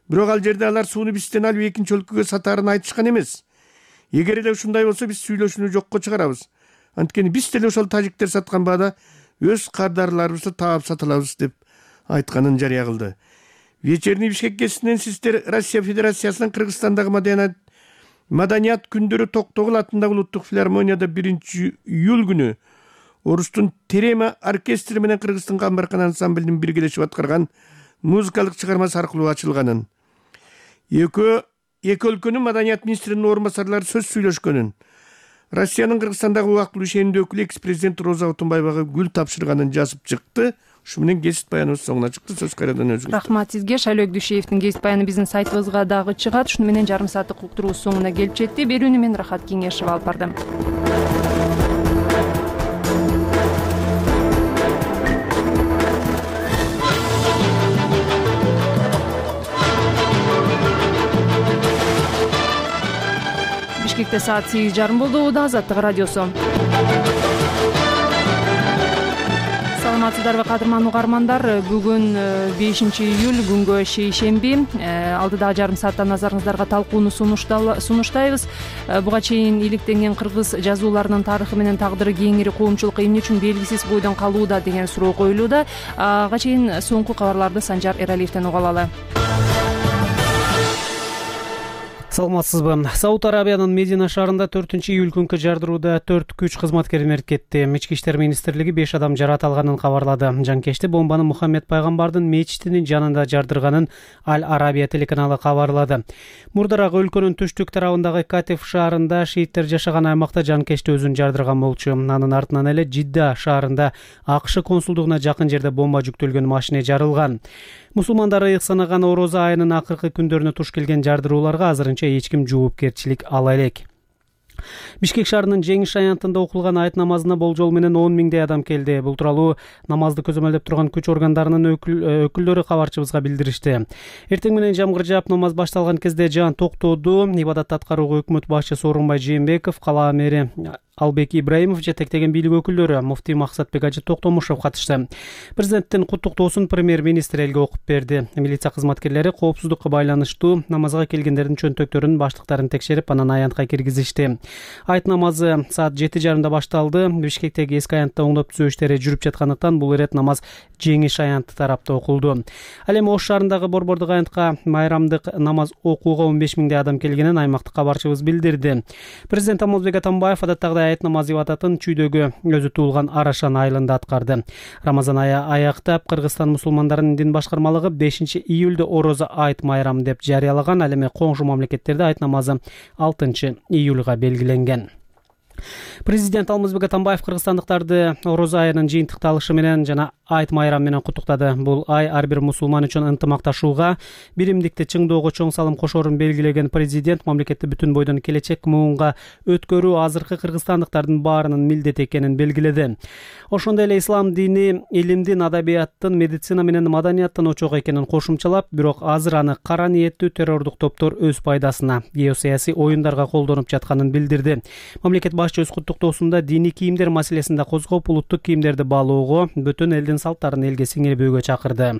Бирок ал жерде алар сууну бизден алып экинчи өлкөгө сатаарын айтышкан эмес. Эгер эле ушундай болсо, биз сүйлөшүүнү жокко чыгарабыз. Анткени биз деле ошол тажиктер саткан баада өз кардарларыбызды таап саталабыз деп айтканын жарыя кылды. Вечерний Бишкек кесинен сиздер Россия Федерациясынын Кыргызстандагы маданият күндөрү Токтогул атындагы улуттук филармонияда 1-июль күнү Орустун Терема оркестри менен Кыргыздын Камбаркан ансамблинин биргелешип аткарган музыкалык чыгармасы аркылуу ачылганын. Экөө эки өлкөнүн маданият министринин орун басарлары сөз сүйлөшкөнүн, Россиянын Кыргызстандагы убактылуу ишенимдүү өкүлү экс-президент Роза Отунбаевага гүл тапшырганын жазып чыкты. Ушу менен кесип баяныбыз соңуна чыкты. Сөз кайрадан өзүңүз. Рахмат сизге. Шайлоо Дүйшеевдин кесип баяны биздин сайтыбызга дагы чыгат. Ушуну менен жарым сааттык уктуруубуз соңуна келип жетти. Берүүнү мен Рахат Кеңешова алып бардым. Бишкекте саат 8:30 болду. Убада Азаттык радиосу. Саламатсыздарбы кадырман угармандар. Бүгүн 5-июль күнгө шейшемби. Алдыдагы жарым саатта назарыңыздарга талкууну сунуштайбыз. Буга чейин иликтенген кыргыз жазууларынын тарыхы менен тагдыры кеңири коомчулукка эмне үчүн белгисиз бойдон калууда деген суроо коюлууда. Ага чейин соңку кабарларды Санжар Эралиевден уга алалы. Саламатсызбы. Сауд Арабиянын Медина шаарында 4-июль күнкү жардырууда 4 күч кызматкери мерт кетти. Ички иштер министрлиги 5 адам жаракат алганын кабарлады. Жанкечти бомбаны Мухаммед пайгамбардын мечитинин жанында жардырганын Аль Арабия телеканалы кабарлады. Мурдараак өлкөнүн түштүк тарабындагы Катиф шаарында шииттер жашаган аймакта жанкечти өзүн жардырган болчу. Анын артынан эле Жидда шаарында АКШ консулдугуна жакын жерде бомба жүктөлгөн машина жарылган. Мусулмандар ыйык санаган орозо айынын акыркы күндөрүнө туш келген жардырууларга азырынча эч ким жоопкерчилик ала элек. Бишкек шаарынын Жеңиш аянтында окулган айт намазына болжол менен 10 миңдей адам келди. Бул тууралуу намазды көзөмөлдөп турган күч органдарынын өкүлдөрү кабарчыбызга билдиришти. Эртең менен жамгыр жаап намаз башталган кезде жаан токтоду. Ибадатты аткарууга өкмөт башчысы Орунбай Жээнбеков, кала мэри Албек Ибраимов жетектеген бийлик өкүлдөрү муфтий Максатбек Ажы Токтомушев катышты. Президенттин куттуктоосун премьер-министр элге окуп берди. Милиция кызматкерлери коопсуздукка байланыштуу намазга келгендердин чөнтөктөрүнүн баштыктарын текшерип, анан аянтка киргизишти. Айт намазы саат 7:30 башталды. Бишкектеги эски аянтта оңдоп түзөө иштери жүрүп жаткандыктан бул ирет намаз Жеңиш аянты тарапта окулду. Ал эми Ош шаарындагы Борбордук аянтка майрамдык намаз окууга 15 миңдей адам келгенин аймактык кабарчыбыз билдирди. Президент Алмазбек Атамбаев адаттагы айт намаз ибадатын чүйдөгү өзү туулган Арашан айылында аткарды. Рамазан айы аяктап, Кыргызстан мусулмандарынын дин башкармалыгы 5-июльдө орозо айт майрамы деп жарыялаган. Ал эми коңшу мамлекеттерде айт намазы 6-июлга белгиленген. Президент Алмазбек Атамбаев кыргызстандыктарды орозо айынын жыйынтыкталышы менен жана айт майрамы менен куттуктады. Бул ай ар бир мусулман үчүн ынтымакташууга, биримдикти чыңдоого чоң салым кошорун белгилеген президент мамлекетти бүтүн бойдон келечек муунга өткөрүү азыркы кыргызстандыктардын баарынын милдети экенин белгиледи. Ошондой эле ислам дини илимдин, адабияттын, медицина менен маданияттын очогу экенин кошумчалап, бирок азыр аны кара ниеттүү террордук топтор өз пайдасына, геосаясий оюндарга колдонуп жатканын билдирди. Мамлекет башчы өз куттуктоосунда диний кийимдер маселесинде козгоп, улуттук кийимдерди баалоого, бүтүн элдин салттарын элге сиңирбөөгө чакырды.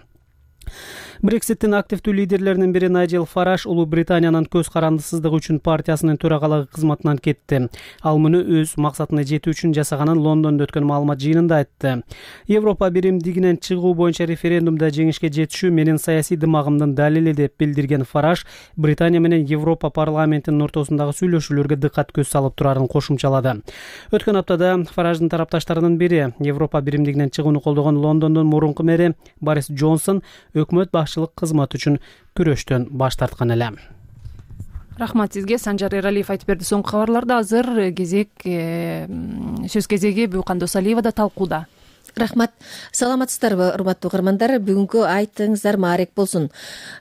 Брекситтин активдүү лидерлеринин бири Найджел Фараш Улуу Британиянын көз карандысыздыгы үчүн партиясынын төрагалыгы кызматынан кетти. Ал муну өз максатына жетүү үчүн жасаганын Лондондо өткөн маалымат жыйынында айтты. Европа биримдигинен чыгуу боюнча референдумда жеңишке жетишүү менин саясий дымагымдын далили деп билдирген Фараш Британия менен Европа парламентинин ортосундагы сүйлөшүүлөргө дыккат көз салып турарын кошумчалады. Өткөн аптада Фараждын тарапташтарынын бири Европа биримдигинен чыгууну колдогон Лондондун мурунку мэри Борис Джонсон өкмөт башчылык кызматы үчүн күрөштөн баш тарткан эле. Рахмат сизге. Санжар Эралиев айтып берди соңку кабарларды. Азыр кезек сөз кезеги Буюкан Досалиевада талкууда. Рахмат. Саламатсыздарбы, урматтуу угармандар. Бүгүнкү айтыңыздар маарек болсун.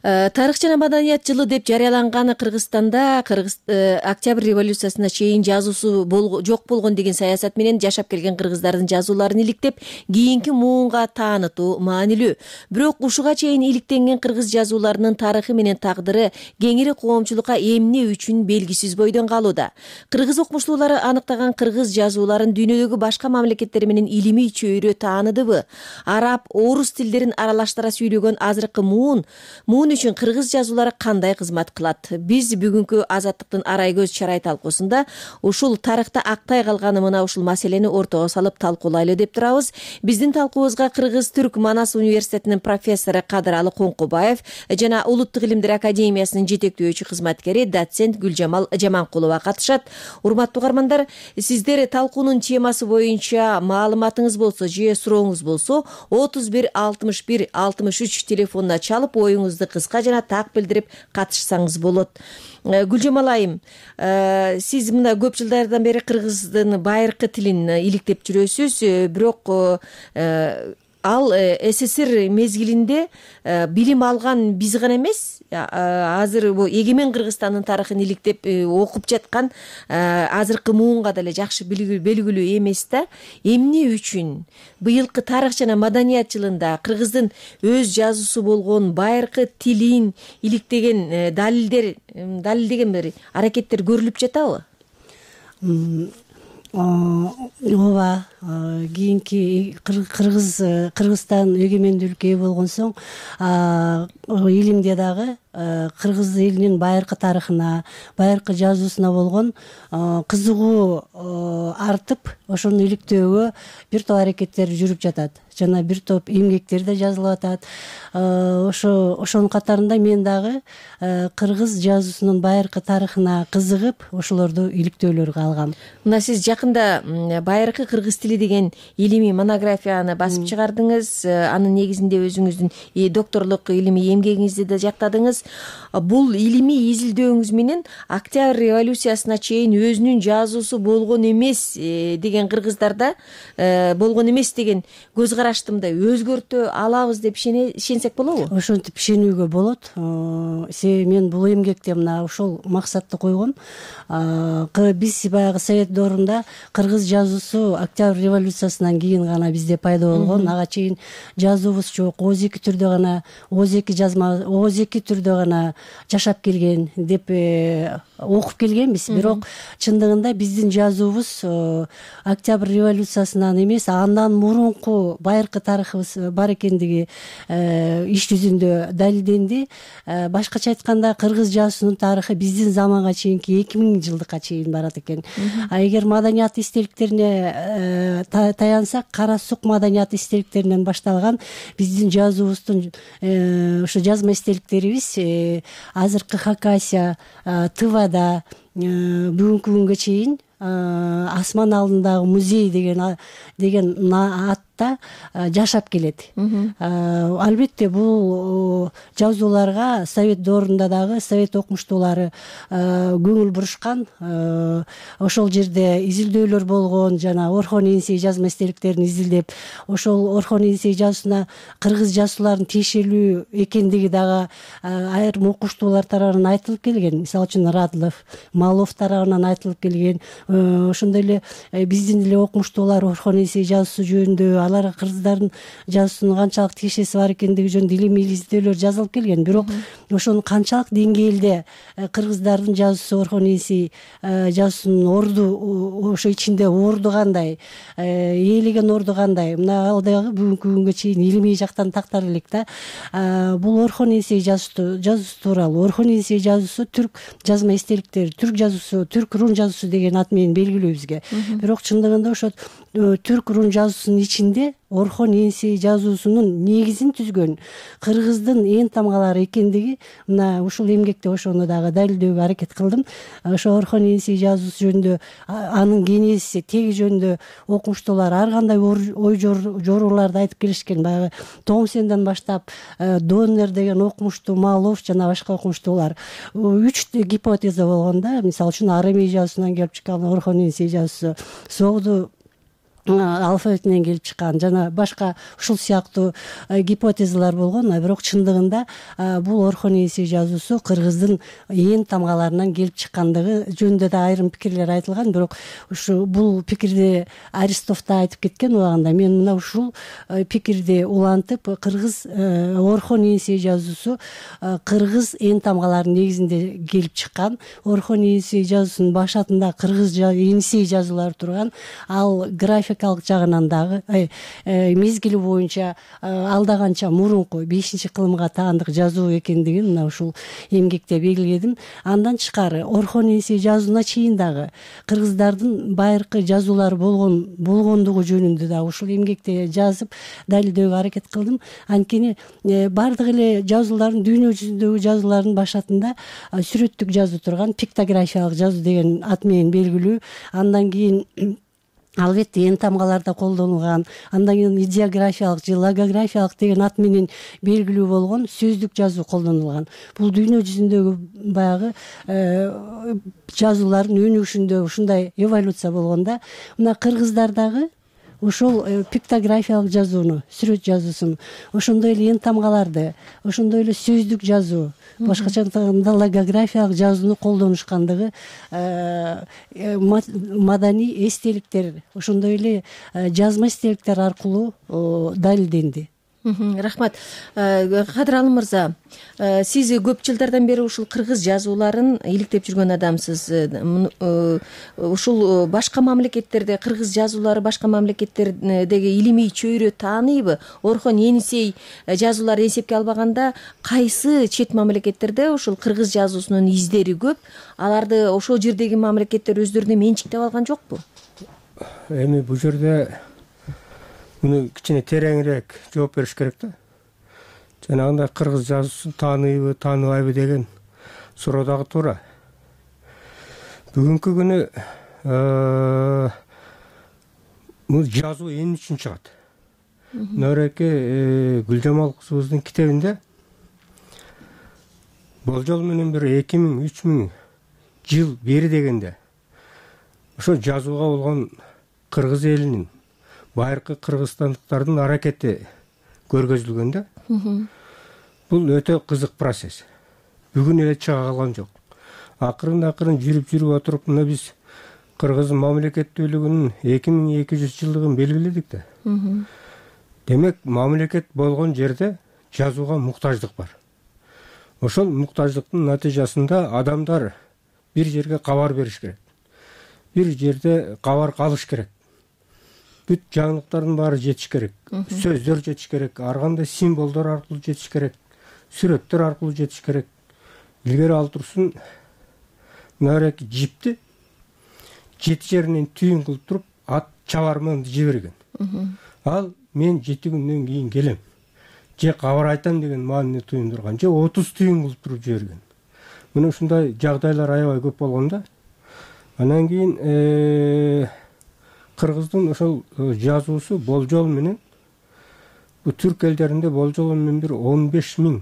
Тарых жана маданият жылы деп жарыяланган Кыргызстанда Октябрь революциясына чейин жазуусу жок болгон деген саясат менен жашап келген кыргыздардын жазууларын иликтеп, кийинки муунга таанытуу маанилүү. Бирок ушуга чейин иликтенген кыргыз жазууларынын тарыхы менен тагдыры кеңири коомчулукка эмне үчүн белгисиз бойдон калууда. Кыргыз окумуштуулары аныктаган кыргыз жазууларын дүйнөдөгү башка мамлекеттер менен илимий чөйрө тааныдыбы? Араб, орус тилдерин аралаштыра сүйлөгөн азыркы муун үчүн кыргыз жазуулары кандай кызмат кылат? Биз бүгүнкү Азаттыктын арай көз чарай талкуусунда ушул тарыхта актай калган мына ушул маселени ортого салып талкуулайлы деп турабыз. Биздин талкуубузга Кыргыз-Түрк Манас университетинин профессору Кадыралы Коңкубаев жана Улуттук илимдер академиясынын жетектөөчү кызматкери доцент Гүлжамал Жаманкулова катышат. Урматтуу угармандар, сиздер талкуунун темасы боюнча маалыматыңыз болсо же же сурооңуз болсо 31 61 63 телефонуна чалып оюңузду кыска жана так билдирип катышсаңыз болот. Гүлжамал айым, сиз мына көп жылдардан бери кыргыздын байыркы тилин иликтеп жүрөсүз, бирок ал СССР мезгилинде билим алган биз гана эмес, азыр бул эгемен Кыргызстандын тарыхын иликтеп окуп жаткан азыркы муунга деле жакшы белгилүү эмес да. Эмне үчүн быйылкы тарых жана маданият жылында кыргыздын өз жазуусу болгон байыркы тилин иликтеген далилдеген бир аракеттер көрүлүп жатабы? Ооба, кийинки Кыргызстан эгемендүүлүккө ээ болгон соң илимде дагы кыргыз элинин байыркы тарыхына, байыркы жазуусуна болгон кызыгуу артып, ошону иликтөөгө бир топ аракеттер жүрүп жатат. Жана бир топ эмгектер да жазылып атат. Ошонун катарында мен дагы кыргыз жазуусунун байыркы тарыхына кызыгып, ошолорду иликтөөлөргө алгам. Мына сиз жакында байыркы кыргыз тили деген илимий монографияны басып чыгардыңыз. Анын негизинде өзүңүздүн докторлук илимий эмгегиңизди да жактадыңыз. Бул илимий изилдөөңүз менен Октябрь революциясына чейин өзүнүн жазуусу болгон эмес деген кыргыздарда болгон эмес деген көз карашты мындай өзгөртө алабыз деп ишенсек болобу? Ошентип ишенүүгө болот. Мен бул эмгекте мына ошол максатты койгом. Биз баягы Совет доорунда кыргыз жазуусу Октябрь революциясынан кийин гана бизде пайда болгон. Ага чейин жазуубуз жок. Ооз-2 түрдө гана, ооз-2 жазма, ооз-2 түрдө гана жашап келген деп окуп келгенбиз. Бирок чындыгында биздин жазуубуз Октябрь революциясынан эмес, андан мурунку байыркы тарыхыбыз бар экендиги иш жүзүндө далилденди. Башкача айтканда кыргыз жазуусунун тарыхы биздин заманга чейинки 2000 жылдыкка чейин барат экен. Эгер маданият истеликтерине таянсак, Кара сук маданият истеликтеринен башталган биздин жазуубуздун ошо жазма истеликтерибиз азыркы Хакасия, Тывада бүгүнкү күнгө чейин Асман алдындагы музей деген атта жашап келет. Албетте бул жазууларга Совет доорунда дагы Совет окумуштуулары көңүл бурушкан. Ошол жерде изилдөөлөр болгон, жана Орхон Енисей жазма истеликтерин изилдеп, ошол Орхон Енисей жазуусуна кыргыз жазуучулардын тиешелүү экендиги дагы айрым окумуштуулар тарабынан айтылып келген. Мисалы үчүн Радлов, Малов тарабынан айтылып келген. Ошондой эле биздин эле окумуштуулар Орхон Енисей жазуусу жөнүндө, алар кыргыздардын жазуусунун канчалык тиешеси бар экендиги жөнүндө илимий изилдөөлөр жазылып келген. Бирок ошонун канчалык деңгээлде кыргыздардын жазуусу Орхон Енисей жазуусунун орду, ошо ичинде орду кандай, ээлеген орду кандай, мына ал дагы бүгүнкү күнгө чейин илимий жактан тактар элек да. Бул Орхон Енисей жазуусу тууралуу. Орхон Енисей жазуусу түрк жазма эстеликтери, түрк жазуусу, түрк рун жазуусу деген ат менен белгилүү бизге. Бирок чындыгында ошо түрк рун жазуусунун ичинде Орхон Енисей жазуусунун негизин түзгөн кыргыздын эн тамгалары экендиги мына ушул эмгекте ошону дагы далилдөөгө аракет кылдым. Ошо Орхон Енисей жазуусу жөнүндө, анын генезиси, теги жөнүндө окумуштуулар ар кандай ой жорууларды айтып келишкен. Баягы Томсенден баштап Доннер деген окумуштуу, Малов жана башка окумуштуулар 3 гипотеза болгон да. Мисалы үчүн Арамей жазуусунан келип чыккан Орхон Енисей жазуусу, Согду алфавитинен келип чыккан жана башка ушул сыяктуу гипотезалар болгон. Бирок чындыгында бул Орхон Енисей жазуусу кыргыздын эн тамгаларынан келип чыккандыгы жөнүндө да айрым пикирлер айтылган. Бирок ушу бул пикирди Аристов да айтып кеткен убагында. Мен мына ушул пикирди улантып, кыргыз Орхон Енисей жазуусу кыргыз эн тамгаларынын негизинде келип чыккан. Орхон Енисей жазуусунун башатында кыргыз Енисей жазуулары турган. Ал графикалык жагынан дагы мезгили боюнча алда канча мурунку 5-кылымга таандык жазуу экендигин мына ушул эмгекте белгиледим. Андан тышкары Орхон Енисей жазууна чейин дагы кыргыздардын байыркы жазуулары болгондугу жөнүндө да ушул эмгекте жазып далилдөөгө аракет кылдым. Анткени бардык эле жазуулардын, дүйнө жүзүндөгү жазуулардын башатында сүрөттүк жазуу турган, пиктографиялык жазуу деген ат менен белгилүү. Андан кийин албетте эн тамгалар да колдонулган. Андан кийин идеографиялык же логографиялык деген ат менен белгилүү болгон сөздүк жазуу колдонулган. Бул дүйнө жүзүндөгү баягы жазуулардын өнүгүшүндө ушундай эволюция болгон да. Мына кыргыздардагы ошол пиктографиялык жазууну, сүрөт жазуусун, ошондой эле эн тамгаларды, ошондой эле сөздүк жазуу, башкача айтканда логографиялык жазууну колдонушкандыгы маданий эстеликтер, ошондой эле жазма эстеликтер аркылуу далилденди. Рахмат. Кадыр Алым мырза, сиз көп жылдардан бери ушул кыргыз жазууларын иликтеп жүргөн адамсыз. Ушул башка мамлекеттерде кыргыз жазуулары башка мамлекеттердеги илимий чөйрө тааныйбы? Орхон Енисей жазуулары эсепке албаганда кайсы чет мамлекеттерде ушул кыргыз жазуусунун издери көп? Аларды ошол жердеги мамлекеттер өздөрүнө менчиктеп алган жокпу? Эми бул жерде муну кичине тереңирээк жооп бериш керек да. Жанагындай кыргыз жазуусун тааныйбы, тааныбайбы деген суроо дагы туура. Бүгүнкү күнү бул жазуу эмне үчүн чыгат? Нөреке Гүлжамал кызыбыздын китебинде болжол менен бир 2000-3000 жыл бери дегенде ошо жазууга болгон кыргыз элинин байыркы кыргызстандыктардын аракети көргөзүлгөн да. Бул өтө кызык процесс. Бүгүн эле чыга калган жок. Акырын жүрүп отуруп мына биз кыргыз мамлекеттүүлүгүнүн 2200 жылдыгын белгиледик да. Демек, мамлекет болгон жерде жазууга муктаждык бар. Ошол муктаждыктын натыйжасында адамдар бир жерге кабар бериш керек. Бир жерде кабар калыш керек. Бүт жаңылыктардын баары жетиш керек. Сөздөр жетиш керек, ар кандай символдор аркылуу жетиш керек, сүрөттөр аркылуу жетиш керек. Илгери ал турсун мынабеки жипти 7 жеринен түйүн кылып туруп ат чабарманды жиберген. Ал мен 7 күндөн кийин келем, же кабар айтам деген маанини туюндурган, же 30 түйүн кылып туруп жиберген. Мына ушундай жагдайлар аябай көп болгон да. Анан кийин кыргыздын ошол жазуусу болжол менен бу түрк элдеринде болжол менен бир 15.000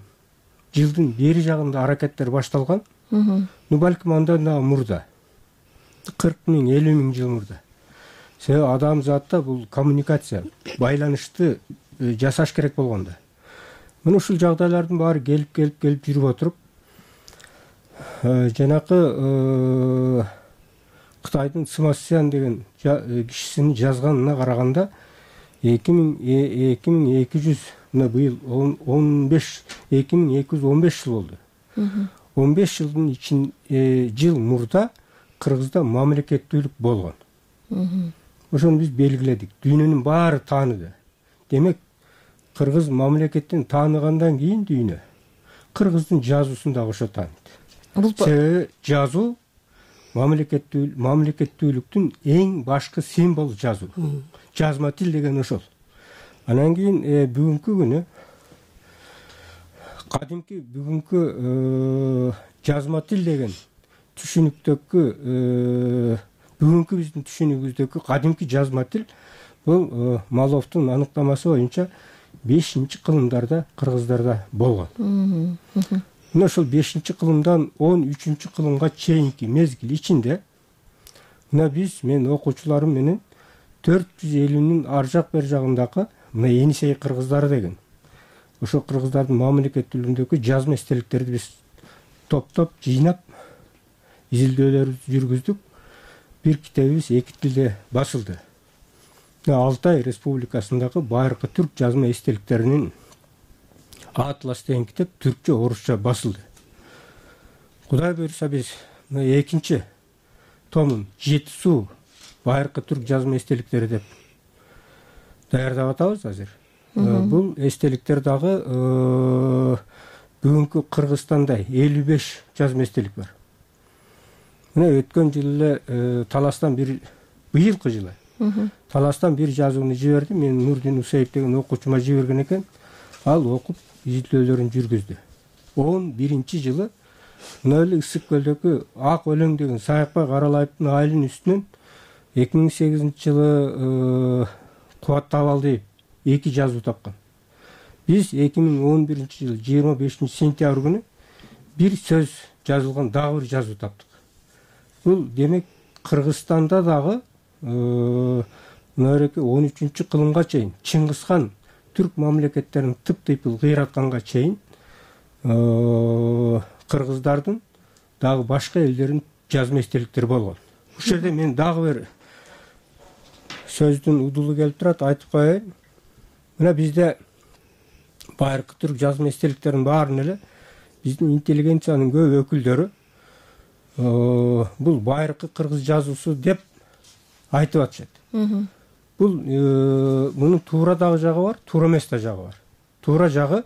жылдын бери жагында аракеттер башталган. Балким андан да мурда 40.000, 50.000 жыл мурда. Себеби адам затта бул коммуникация, байланышты жасаш керек болгондо. Мына ушул жагдайлардын баары келип жүрүп отуруп, жанакы Кытайдын Смасян деген кишисинин жазганына караганда 2200 мына быйыл 2215 жыл болду. 15 жылдын жыл мурда Кыргызда мамлекеттүүлүк болгон. Ошону биз белгиледик. Дүйнөнүн баары тааныды. Демек, кыргыз мамлекеттин тааныгандан кийин дүйнө кыргыздын жазуусун дагы ошо тааныйт. Себеби жазуу мамлекеттүүлүктүн эң башкы символ жазуу. Жазма тил деген ошол. Анан кийин бүгүнкү күнү бүгүнкү жазма тил деген түшүнүктөгү бүгүнкү биздин түшүнүгүбүздөгү кадимки жазма тил бул Маловдун аныктамасы боюнча 5-кылымдарда кыргыздарда болгон. Мына ошол 5-кылымдан 13-кылымга чейинки мезгил ичинде мына мен окуучуларым менен 450-нин ар жак бер жагындагы мына Енисей кыргыздары деген ошо кыргыздардын мамлекеттүүлүгүндөгү жазма эстеликтерди биз топтоп жыйнап изилдөөлөрүбүздү жүргүздүк. Бир китебибиз 2 тилде басылды. Алтай Республикасындагы байыркы түрк жазма эстеликтеринин Атлас деген китеп түркчө, орусча басылды. Кудай буйруса биз экинчи томун Жети суу байыркы түрк жазма эстеликтери деп даярдап атабыз азыр. Бул эстеликтер дагы бүгүнкү Кыргызстанда 55 жазма эстелик бар. Мына өткөн жылы эле Таластан быйылкы жылы Таластан бир жазууну жиберди. Мен Нурдин Усеев деген окуучума жиберген экен. Ал окуп изилдөөлөрүн жүргүздү. 11-жылы мына эле Ысык көлдөгү Ак өлөң деген Саякбай Каралаевдин айылынын үстүнөн 2008 жылы кубаттап деп 2 жазуу тапкан. Биз 2011 жылы 25 сентябрь күнү бир сөз жазылган дагы бир жазуу таптык. Бул демек Кыргызстанда дагы мынабереки 13 кылымга чейин Чыңгыз хан түрк мамлекеттерин тыптыйпыл кыйратканга чейин кыргыздардын дагы башка элдердин жазма эстеликтери болгон. Бул жерде мен дагы бир сөздүн удулу келип турат, айтып коеюн. Мына бизде байыркы түрк жазма эстеликтеринин баарын эле биздин интеллигенциянын көп өкүлдөрү бул байыркы кыргыз жазуусу деп айтып атышат. Бул мунун туура дагы жагы бар, туура эмес да жагы бар. Туура жагы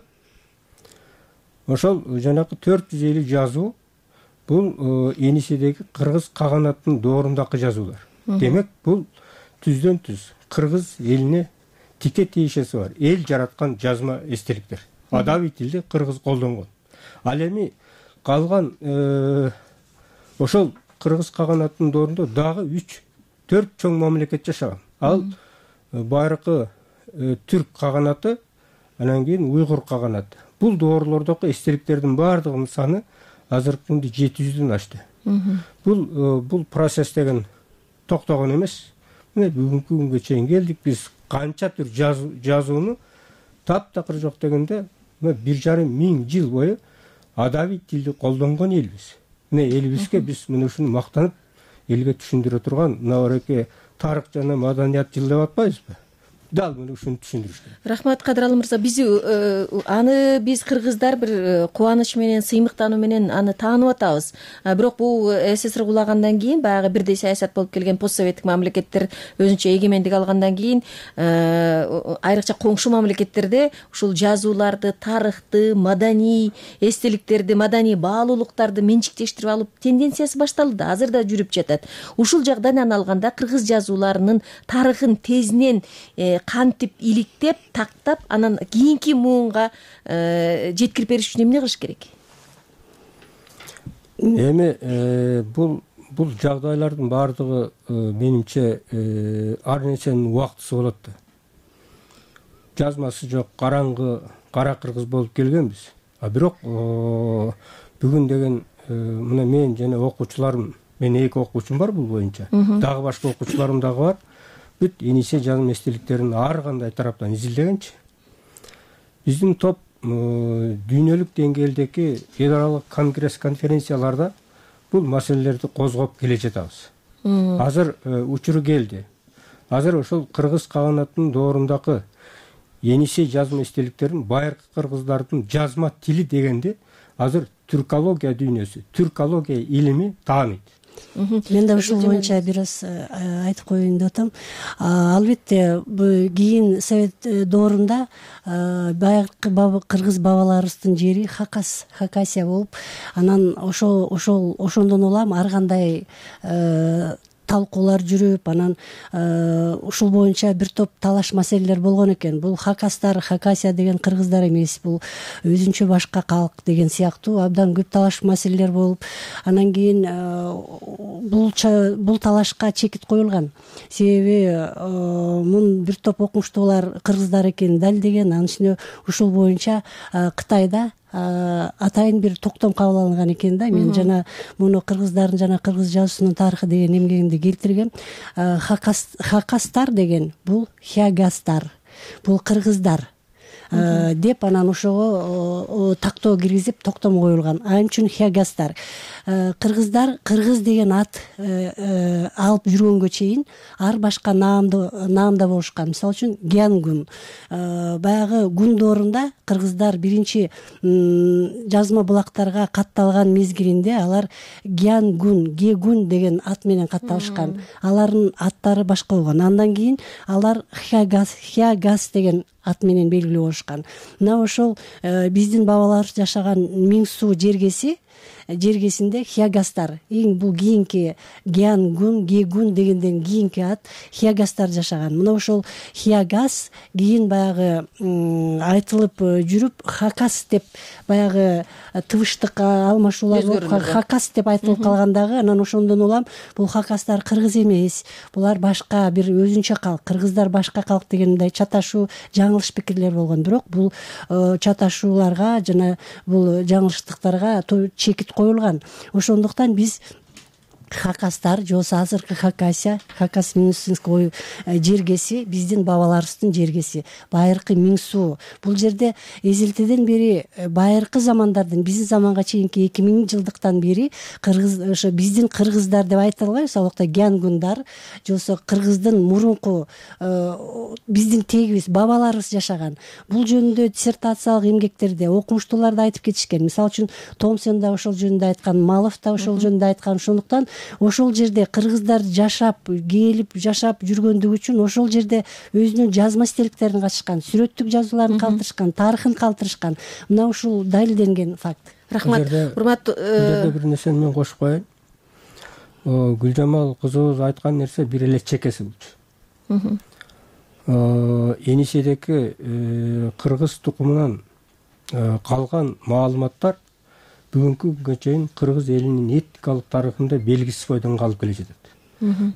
ошол жанакы 450 жазуу бул Енисейдеги кыргыз каганатынын доорундагы жазуулар. Демек бул түздөн түз кыргыз элине тике тиешеси бар. Эл жараткан жазма эстеликтер. Адабий тилди кыргыз колдонгон. Ал эми калган ошол кыргыз каганатынын доорунда дагы 3-4 чоң мамлекет жашаган. Ал байыркы түрк каганаты, анан кийин уйгур каганаты. Бул доорлордогу эстеликтердин баардыгынын саны азыркы күндө 700дөн ашты. Бул процесс деген токтогон эмес. Мына бүгүнкү күнгө чейин келдик. Биз канча түр жазууну таптакыр жок дегенде 1,5 миң жыл бою адабий тилди колдонгон элбиз. Мына элибизге биз мына ушуну мактанып элге түшүндүрө турган мынабереки тарых жана маданият жыл деп атпайбызбы? Дал мына ушуну түшүндүрүш керек. Рахмат Кадыралы мырза. Аны биз кыргыздар бир кубаныч менен, сыймыктануу менен аны таанып атабыз. Бирок бул СССР кулагандан кийин, баягы бирдей саясат болуп келген постсоветтик мамлекеттер өзүнчө эгемендик алгандан кийин, айрыкча коңшу мамлекеттерде ушул жазууларды, тарыхты, маданий эстеликтерди, маданий баалуулуктарды менчиктештирип алып тенденциясы башталды. Азыр да жүрүп жатат. Ушул жагдан алганда кыргыз жазууларынын тарыхын тезинен кантип иликтеп, тактап, анан кийинки муунга жеткирип бериш үчүн эмне кылыш керек? Эми бул жагдайлардын баардыгы менимче ар нерсенин убактысы болот да. Жазмасы жок, караңгы, кара кыргыз болуп келгенбиз. Бирок бүгүн деген мына мен жана окуучуларым, менин 2 окуучум бар бул боюнча. Дагы башка окуучуларым дагы бар. Бүт Енисей жазма эстеликтерин ар кандай тараптан изилдегенчи. Биздин топ дүйнөлүк деңгээлдеги эл аралык конгресс, конференцияларда бул маселелерди козгоп келе жатабыз. Азыр учуру келди. Азыр ошол кыргыз каганатынын доорундагы Енисей жазма эстеликтерин байыркы кыргыздардын жазма тили дегенде азыр түркология дүйнөсү, түркология илими тааныйт. Мен да ушул боюнча бир аз айтып коеюн деп атам. Албетте кийин совет доорунда баягы кыргыз бабаларыбыздын жери Хакасия болуп, анан ошондон улам ар кандай талкуулар жүрүп, анан ушул боюнча бир топ талаш маселелер болгон экен. Бул Хакасия деген кыргыздар эмес, бул өзүнчө башка калк деген сыяктуу абдан көп талаш маселелер болуп, анан кийин бул талашка чекит коюлган. Себеби мун бир топ окумуштуулар кыргыздар экенин далилдеген. Анын үстүнө ушул боюнча Кытайда атайын бир токтом кабыл алынган экен да. Мен жана муну кыргыздардын жана кыргыз жазуусунун тарыхы деген эмгегимде келтиргем. Хакастар деген бул хягастар, бул кыргыздар деп анан ошого тактоо киргизип токтом коюлган. Ал үчүн хягастар. Кыргыздар кыргыз деген ат алып жүргөнгө чейин ар башка наамда болушкан. Мисалы үчүн Гянгун. Баягы гун доорунда кыргыздар биринчи жазма булактарга катталган мезгилинде алар Гянгун, Гегун деген ат менен катталышкан. Алардын аттары башка болгон. Андан кийин алар Хягас деген аты менен белгилүү болушкан. Мына ошол биздин бабалар жашаган Миң Суу жергесинде хиягастар, эң бул кийинки Геангун, Гегун дегенден кийинки ат хиягастар жашаган. Мына ошол хиягас кийин баягы айтылып жүрүп хакас деп баягы тыбыштык алмашуулар болуп хакас деп айтылып калган дагы. Анан ошондон улам бул хакастар кыргыз эмес, булар башка бир өзүнчө калк, кыргыздар башка калк деген мындай чаташуу жаңылыш пикирлер болгон. Бирок бул чаташууларга жана бул жаңылыштыктарга чекит коюлган. Ошондуктан биз хакастар же болбосо азыркы Хакасия, Хакас-Минусинский жергеси биздин бабаларыбыздын жергеси, байыркы Миң Суу. Бул жерде эзелтеден бери байыркы замандардан биздин заманга чейинки 2000 жылдыктан бери кыргыз ошо биздин кыргыздар деп айта албайбыз, ал жакта Гянгундар же болбосо кыргыздын мурунку биздин тегибиз бабаларыбыз жашаган. Бул жөнүндө диссертациялык эмгектерде окумуштуулар да айтып кетишкен. Мисалы үчүн Томсен да ошол жөнүндө айткан, Малов да ошол жөнүндө айткан. Ошондуктан ошол жерде кыргыздар жашап, келип жашап жүргөндүгү үчүн ошол жерде өзүнүн жазма стеликтерин катышкан, сүрөттүк жазууларын калтырышкан, тарыхын калтырышкан. Мына ушул далилденген факт. Рахмат. Урматтуу бир нерсени мен кошуп коеюн. Гүлжамал кызыбыз айткан нерсе бир эле чекеси болчу. Эниседеки кыргыз тукумунан калган маалыматтар бүгүнкү күнгө чейин кыргыз элинин этникалык тарыхында белгисиз бойдон калып келе жатат.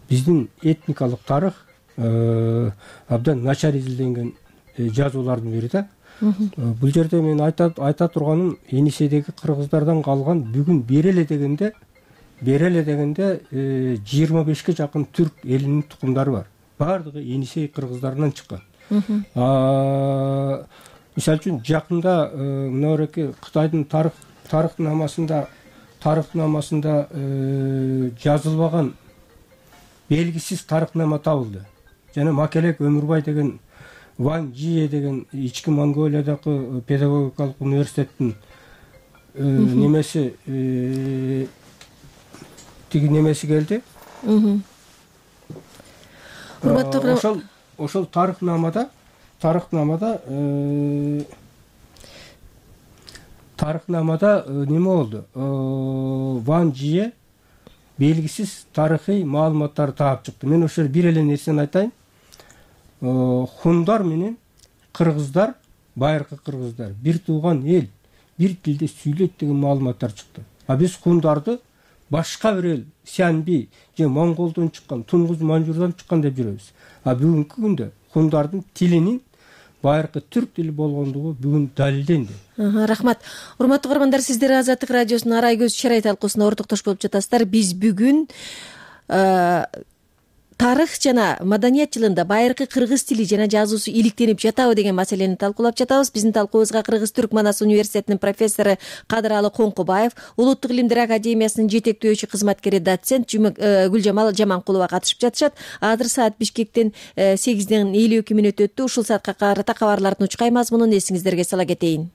Биздин этникалык тарых абдан начар изилденген жазуулардын бири да. Бул жерде мен айта турганым, Эниседеги кыргыздардан калган бүгүн береле дегенде 25ке жакын түрк элинин тукумдары бар. Бардыгы Енисей кыргыздарынан чыккан. Мисалы үчүн жакында мына эреки Кытайдын тарыхнамасында жазылбаган белгисиз тарыхнама табылды. Жана Макелек Өмүрбай деген Ван Жие деген ички Монголиядагы педагогикалык университеттин немеси немеси келди. Ошол тарыхнамада неме болду? Ван Жие белгисиз тарыхый маалыматтарды таап чыкты. Мен ошол бир эле нерсени айтайын. Хундар менен кыргыздар, байыркы кыргыздар бир тууган эл, бир тилде сүйлөйт деген маалыматтар чыкты. А биз хундарды башка бир эл, Сянби же Монголдон чыккан, Тунгуз Манжурдан чыккан деп жүрөбүз. А бүгүнкү күндө хундардын тилинин байыркы түрк тили болгондугу бүгүн далилденди. Рахмат. Урматтуу көрөрмандар, сиздер Азаттык радиосунун Арай көз чарай талкуусуна ортоктош болуп жатасыздар. Биз бүгүн тарых жана маданият жылында байыркы кыргыз тили жана жазуусу иликтенип жатабы деген маселени талкуулап жатабыз. Биздин талкуубузга Кыргыз-Түрк Манас университетинин профессору Кадыралы Коңкубаев, Улуттук илимдер академиясынын жетектөөчү кызматкери доцент Гүлжамал Жаманкулова катышып жатышат. Азыр саат Бишкектен 8:52 мүнөт өттү. Ушул саатка карата кабарлардын учкай мазмунун эсиңиздерге сала кетейин.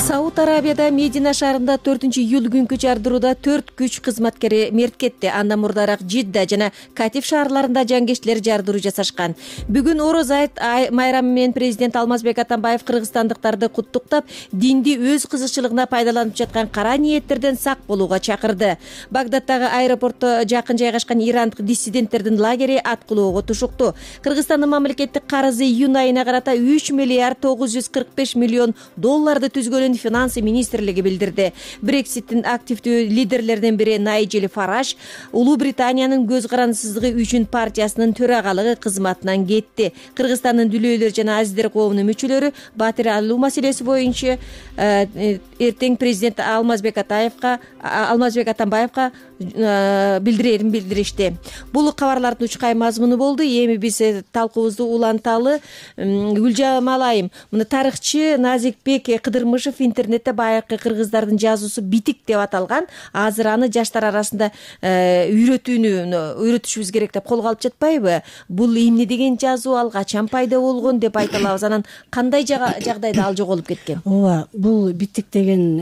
Сауд Арабияда Медина шаарында 4-июль күнкү жардырууда 4 күч кызматкери мерт кетти. Андан мурдараак Жидда жана Катиф шаарларында жангечтилер жардыруу жасашкан. Бүгүн Ороз айт майрамы менен президент Алмазбек Атамбаев кыргызстандыктарды куттуктап, динди өз кызыкчылыгына пайдаланып жаткан кара ниеттерден сак болууга чакырды. Багдадтагы аэропортто жакын жайгашкан ирандык диссиденттердин лагери аткылоого тушукту. Кыргызстандын мамлекеттик карызы июнь айына карата 3 миллиард 945 миллион долларды түзгөнүн финансы министрлиги билдирди. Брекситтин активдүү лидерлеринин бири Найджел Фараж Улуу Британиянын көз карандысыздыгы үчүн партиясынын төрагалыгы кызматынан кетти. Кыргызстандын дүлөөлөр жана азиздер коомунун мүчөлөрү батир алуу маселеси боюнча эртең президент Алмазбек Атамбаевка билдирерин билдиришти. Бул кабарлардын учкай мазмуну болду. Эми биз талкуубузду уланталы. Гүлжамал айым, мына тарыхчы Назикбек Кыдырмышев интернет интернетте баягы кыргыздардын жазуусу битик деп аталган. Азыр аны жаштар арасында үйрөтүшүбүз керек деп колго алып жатпайбы? Бул эмне деген жазуу, ал качан пайда болгон деп айта алабыз. Анан кандай жагдайда ал жоголуп кеткен? Ооба, бул битик деген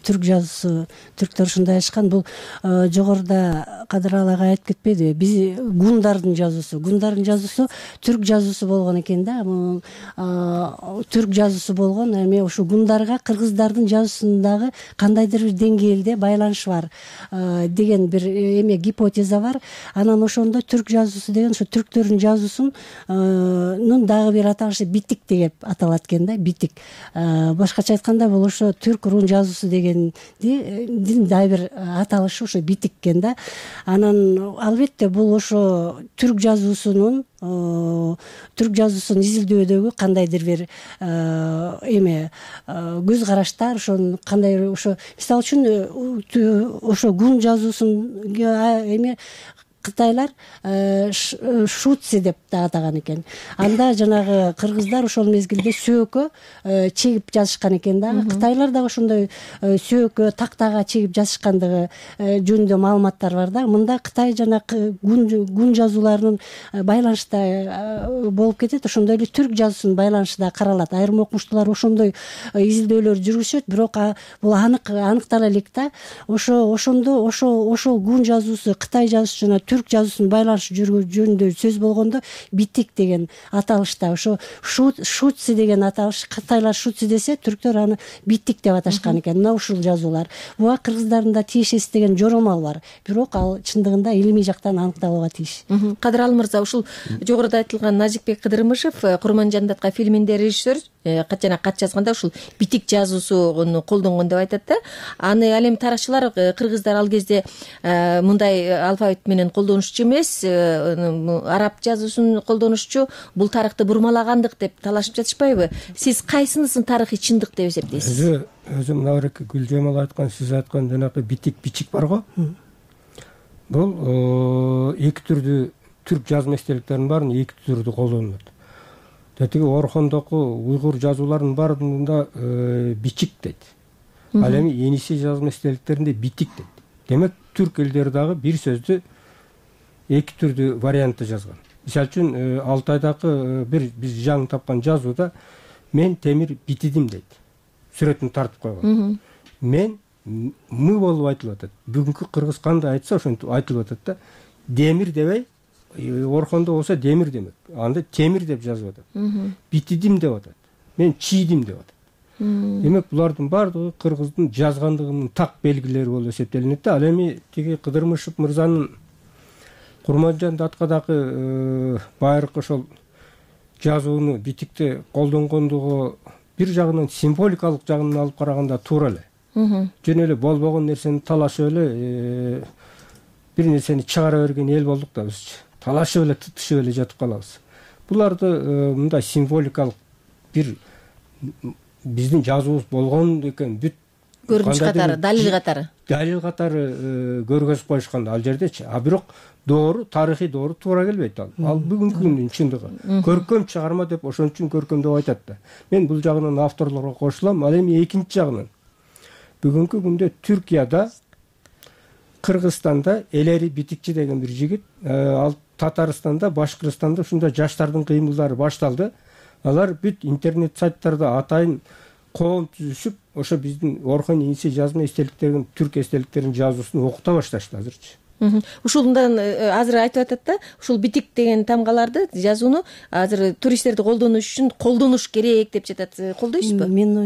түрк жазуусу, түрктөр ушундай айтышкан. Бул жогоруда Кадырал ага айтып кетпедиби? Биз гундардын жазуусу түрк жазуусу болгон экен да. Түрк жазуусу болгон, эми ушу гундарга кыргыздардын жазуусундагы кандайдыр бир деңгээлде байланыш бар деген бир гипотеза бар. Анан ошондо түрк жазуусу деген ошо түрктөрдүн жазуусунун дагы бир аталышы битик деп аталат экен да, битик. Башкача айтканда бул ошо түрк рун жазуусу дегендин дагы бир аталышы ошо битик экен да. Анан албетте бул ошо түрк жазуусунун изилдөөдөгү кандайдыр бир көз караштар, ошону кандай ошо мисалы үчүн ошо гун жазуусун кытайлар шутси деп да атаган экен. Анда жанагы кыргыздар ошол мезгилде сөөккө чегип жазышкан экен да. Кытайлар дагы ошондой сөөккө, тактага чегип жазышкандыгы жөнүндө маалыматтар бар да. Мында Кытай жана гун жазууларынын байланышта болуп кетет. Ошондой эле түрк жазуусунун байланышы да каралат. Айрым окумуштуулар ошондой изилдөөлөр жүргүзүшөт, бирок бул аныктала элек да. Ошондо ошол гун жазуусу, Кытай жазуусу жана түрк жазуусунун байланышы жөнүндө сөз болгондо битик деген аталышта ошо шутси деген аталыш, кытайлар шутси десе, түрктөр аны битик деп аташкан экен. Мына ушул жазуулар. Буга кыргыздардын да тиешеси деген жоромал бар. Бирок ал чындыгында илимий жактан аныкталууга тийиш. Кадырал мырза, ушул жогоруда айтылган Назикбек Кыдырмышев, Курманжандатка фильминде режиссер, жана кат жазганда ушул битик жазуусуну колдонгон деп айтат да. Аны ал эми тарыхчылар кыргыздар ал кезде мындай алфавит менен колдонушчу эмес, араб жазуусун колдонушчу, бул тарыхты бурмалагандык деп талашып жатышпайбы? Сиз кайсынысын тарыхый чындык деп эсептейсиз? Өзү мына бир Гүлжамал айткан, сиз айткан жанагы битик бар го. Бул эки түрдүү түрк жазма эстеликтеринин баарын эки түрдүү колдонулат. Тетиги Орхондогу уйгур жазууларынын баарында бичик дейт. Ал эми Енисей жазма эстеликтеринде битик дейт. Демек түрк элдери дагы бир сөздү эки түрдүү вариантты жазган. Мисалы үчүн Алтайдагы биз жаңы тапкан жазууда мен темир битидим дейт. Сүрөтүн тартып койгон. Мен мы болуп айтылып атат. Бүгүнкү кыргыз кандай айтса ошентип айтылып атат да. Демир дебей, Орхондо болсо демир демек. Анда темир деп жазып атат. Битидим деп атат. Мен чийдим деп атат. Демек булардын баардыгы кыргыздын жазгандыгынын так белгилери болуп эсептелинет да. Ал эми тиги Кыдырмышев мырзанын Курманжандатдагы байыркы ошол жазууну битикти колдонгондугу бир жагынан символикалык жагынан алып караганда туура эле. Жөн эле болбогон нерсени талашып эле бир нерсени чыгара берген эл болдук да бизчи. Талашып эле, тытышып эле жатып калабыз. Буларды мындай символикалык бир биздин жазуубуз болгон экен, бүт көрүнүш катары, далил катары көргөзүп коюшкан ал жердечи. А бирок доору, тарыхый доору туура келбейт ал. Ал бүгүнкү күндүн чындыгы. Көркөм чыгарма деп ошон үчүн көркөм деп айтат да. Мен бул жагынан авторлорго кошулам. Ал эми экинчи жагынан бүгүнкү күндө Түркияда, Кыргызстанда Элери Битикчи деген бир жигит, ал Татарстанда, Башкырстанда ушундай жаштардын кыймылдары башталды. Алар бүт интернет сайттарда атайын коом түзүшүп, ошо биздин Орхон Енисей жазма эстеликтерин, түрк эстеликтеринин жазуусун окута башташты азырчы. Ушундан азыр айтып атат да, ушул битик деген тамгаларды, жазууну азыр туристтерди колдонуш үчүн колдонуш керек деп жатат. Колдойсузбу? Менин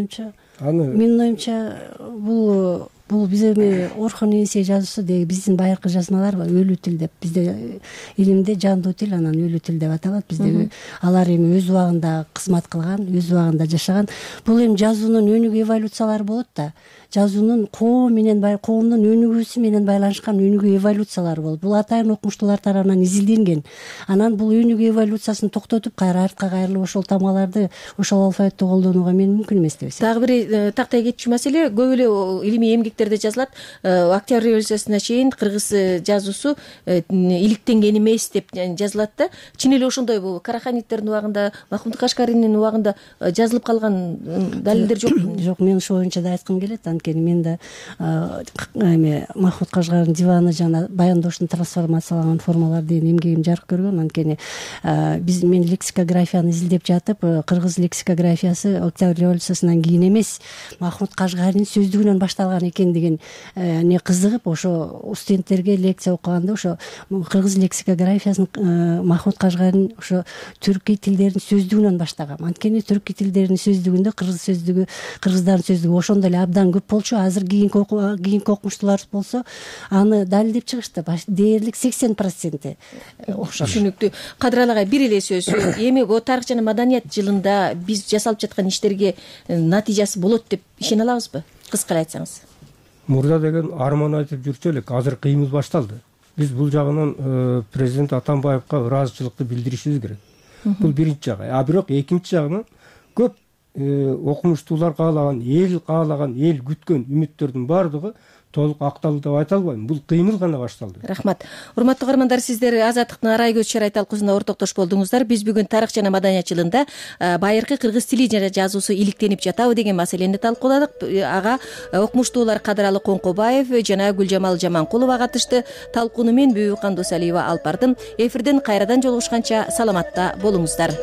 оюмча бул биз эми Орхон Енисей жазуусу деги биздин байыркы жазмалар өлүү тил деп, бизде илимде жандуу тил, анан өлүү тил деп аталат. Бизде алар эми өз убагында кызмат кылган, өз убагында жашаган. Бул эми жазуунун өнүгүү эволюциялары болот да. Жазуунун коомдун өнүгүүсү менен байланышкан өнүгүү эволюциялары болот. Бул атайын окумуштуулар тарабынан изилденген. Анан бул өнүгүү эволюциясын токтотуп, кайра артка кайрылып ошол тамгаларды, ошол алфавитти колдонууга мен мүмкүн эмес деп эсептейм. Дагы бир тактай кетчү маселе, көп эле илимий эмгек иликтерде жазылат, октябрь революциясына чейин кыргыз жазуусу иликтенген эмес деп жазылат да. Чын эле ошондой бул Караханиттердин убагында, Махмуд Кашкаринин убагында жазылып калган далилдер жокпу? Жок, мен ошол боюнча да айткым келет. Анткени мен да эме Махмуд Кашкардын диваны жана баяндоштун трансформацияланган формалары деген эмгегим жарык көргөн. Анткени мен лексикографияны изилдеп жатып, кыргыз лексикографиясы октябрь революциясынан кийин эмес, Махмуд Кашгаринин сөздүгүнөн башталган экен деген не кызыгып, ошо студенттерге лекция окуганда ошо кыргыз лексикографиясын Махмуд Кашгарин ошо түркий тилдердин сөздүгүнөн баштаган. Анткени түркий тилдердин сөздүгүндө кыргыздардын сөздүгү ошондой эле абдан көп болчу. Азыр кийинки окумуштуулар болсо аны далилдеп чыгышты. Дээрлик 80% окшош. Түшүнүктүү. Кадыр агай, бир эле сөз. Эми бул тарых жана маданият жылында биз жасалып жаткан иштерге натыйжасы болот деп ишене алабызбы? Кыска эле айтсаңыз. Мурда деген арман айтып жүрчү элек, азыр кыймыл башталды. Биз бул жагынан президент Атамбаевка ыраазычылыкты билдиришибиз керек. Бул биринчи жагы. А бирок экинчи жагынан көп окумуштуулар каалаган, эл күткөн үмүттөрдүн баардыгы толук акталды деп айта албайм. Бул кыймыл гана башталды. Рахмат. Урматтуу угармандар, сиздер Азаттыктын арай көз чарай талкуусунда ортоктош болдуңуздар. Биз бүгүн тарых жана маданият жылында байыркы кыргыз тили жана жазуусу иликтенип жатабы деген маселени талкууладык. Ага окумуштуулар Кадыралы Коңкобаев жана Гүлжамал Жаманкулова катышты. Талкууну мен Бүбү Кандосалиева алып бардым. Эфирден кайрадан жолугушканча саламатта болуңуздар.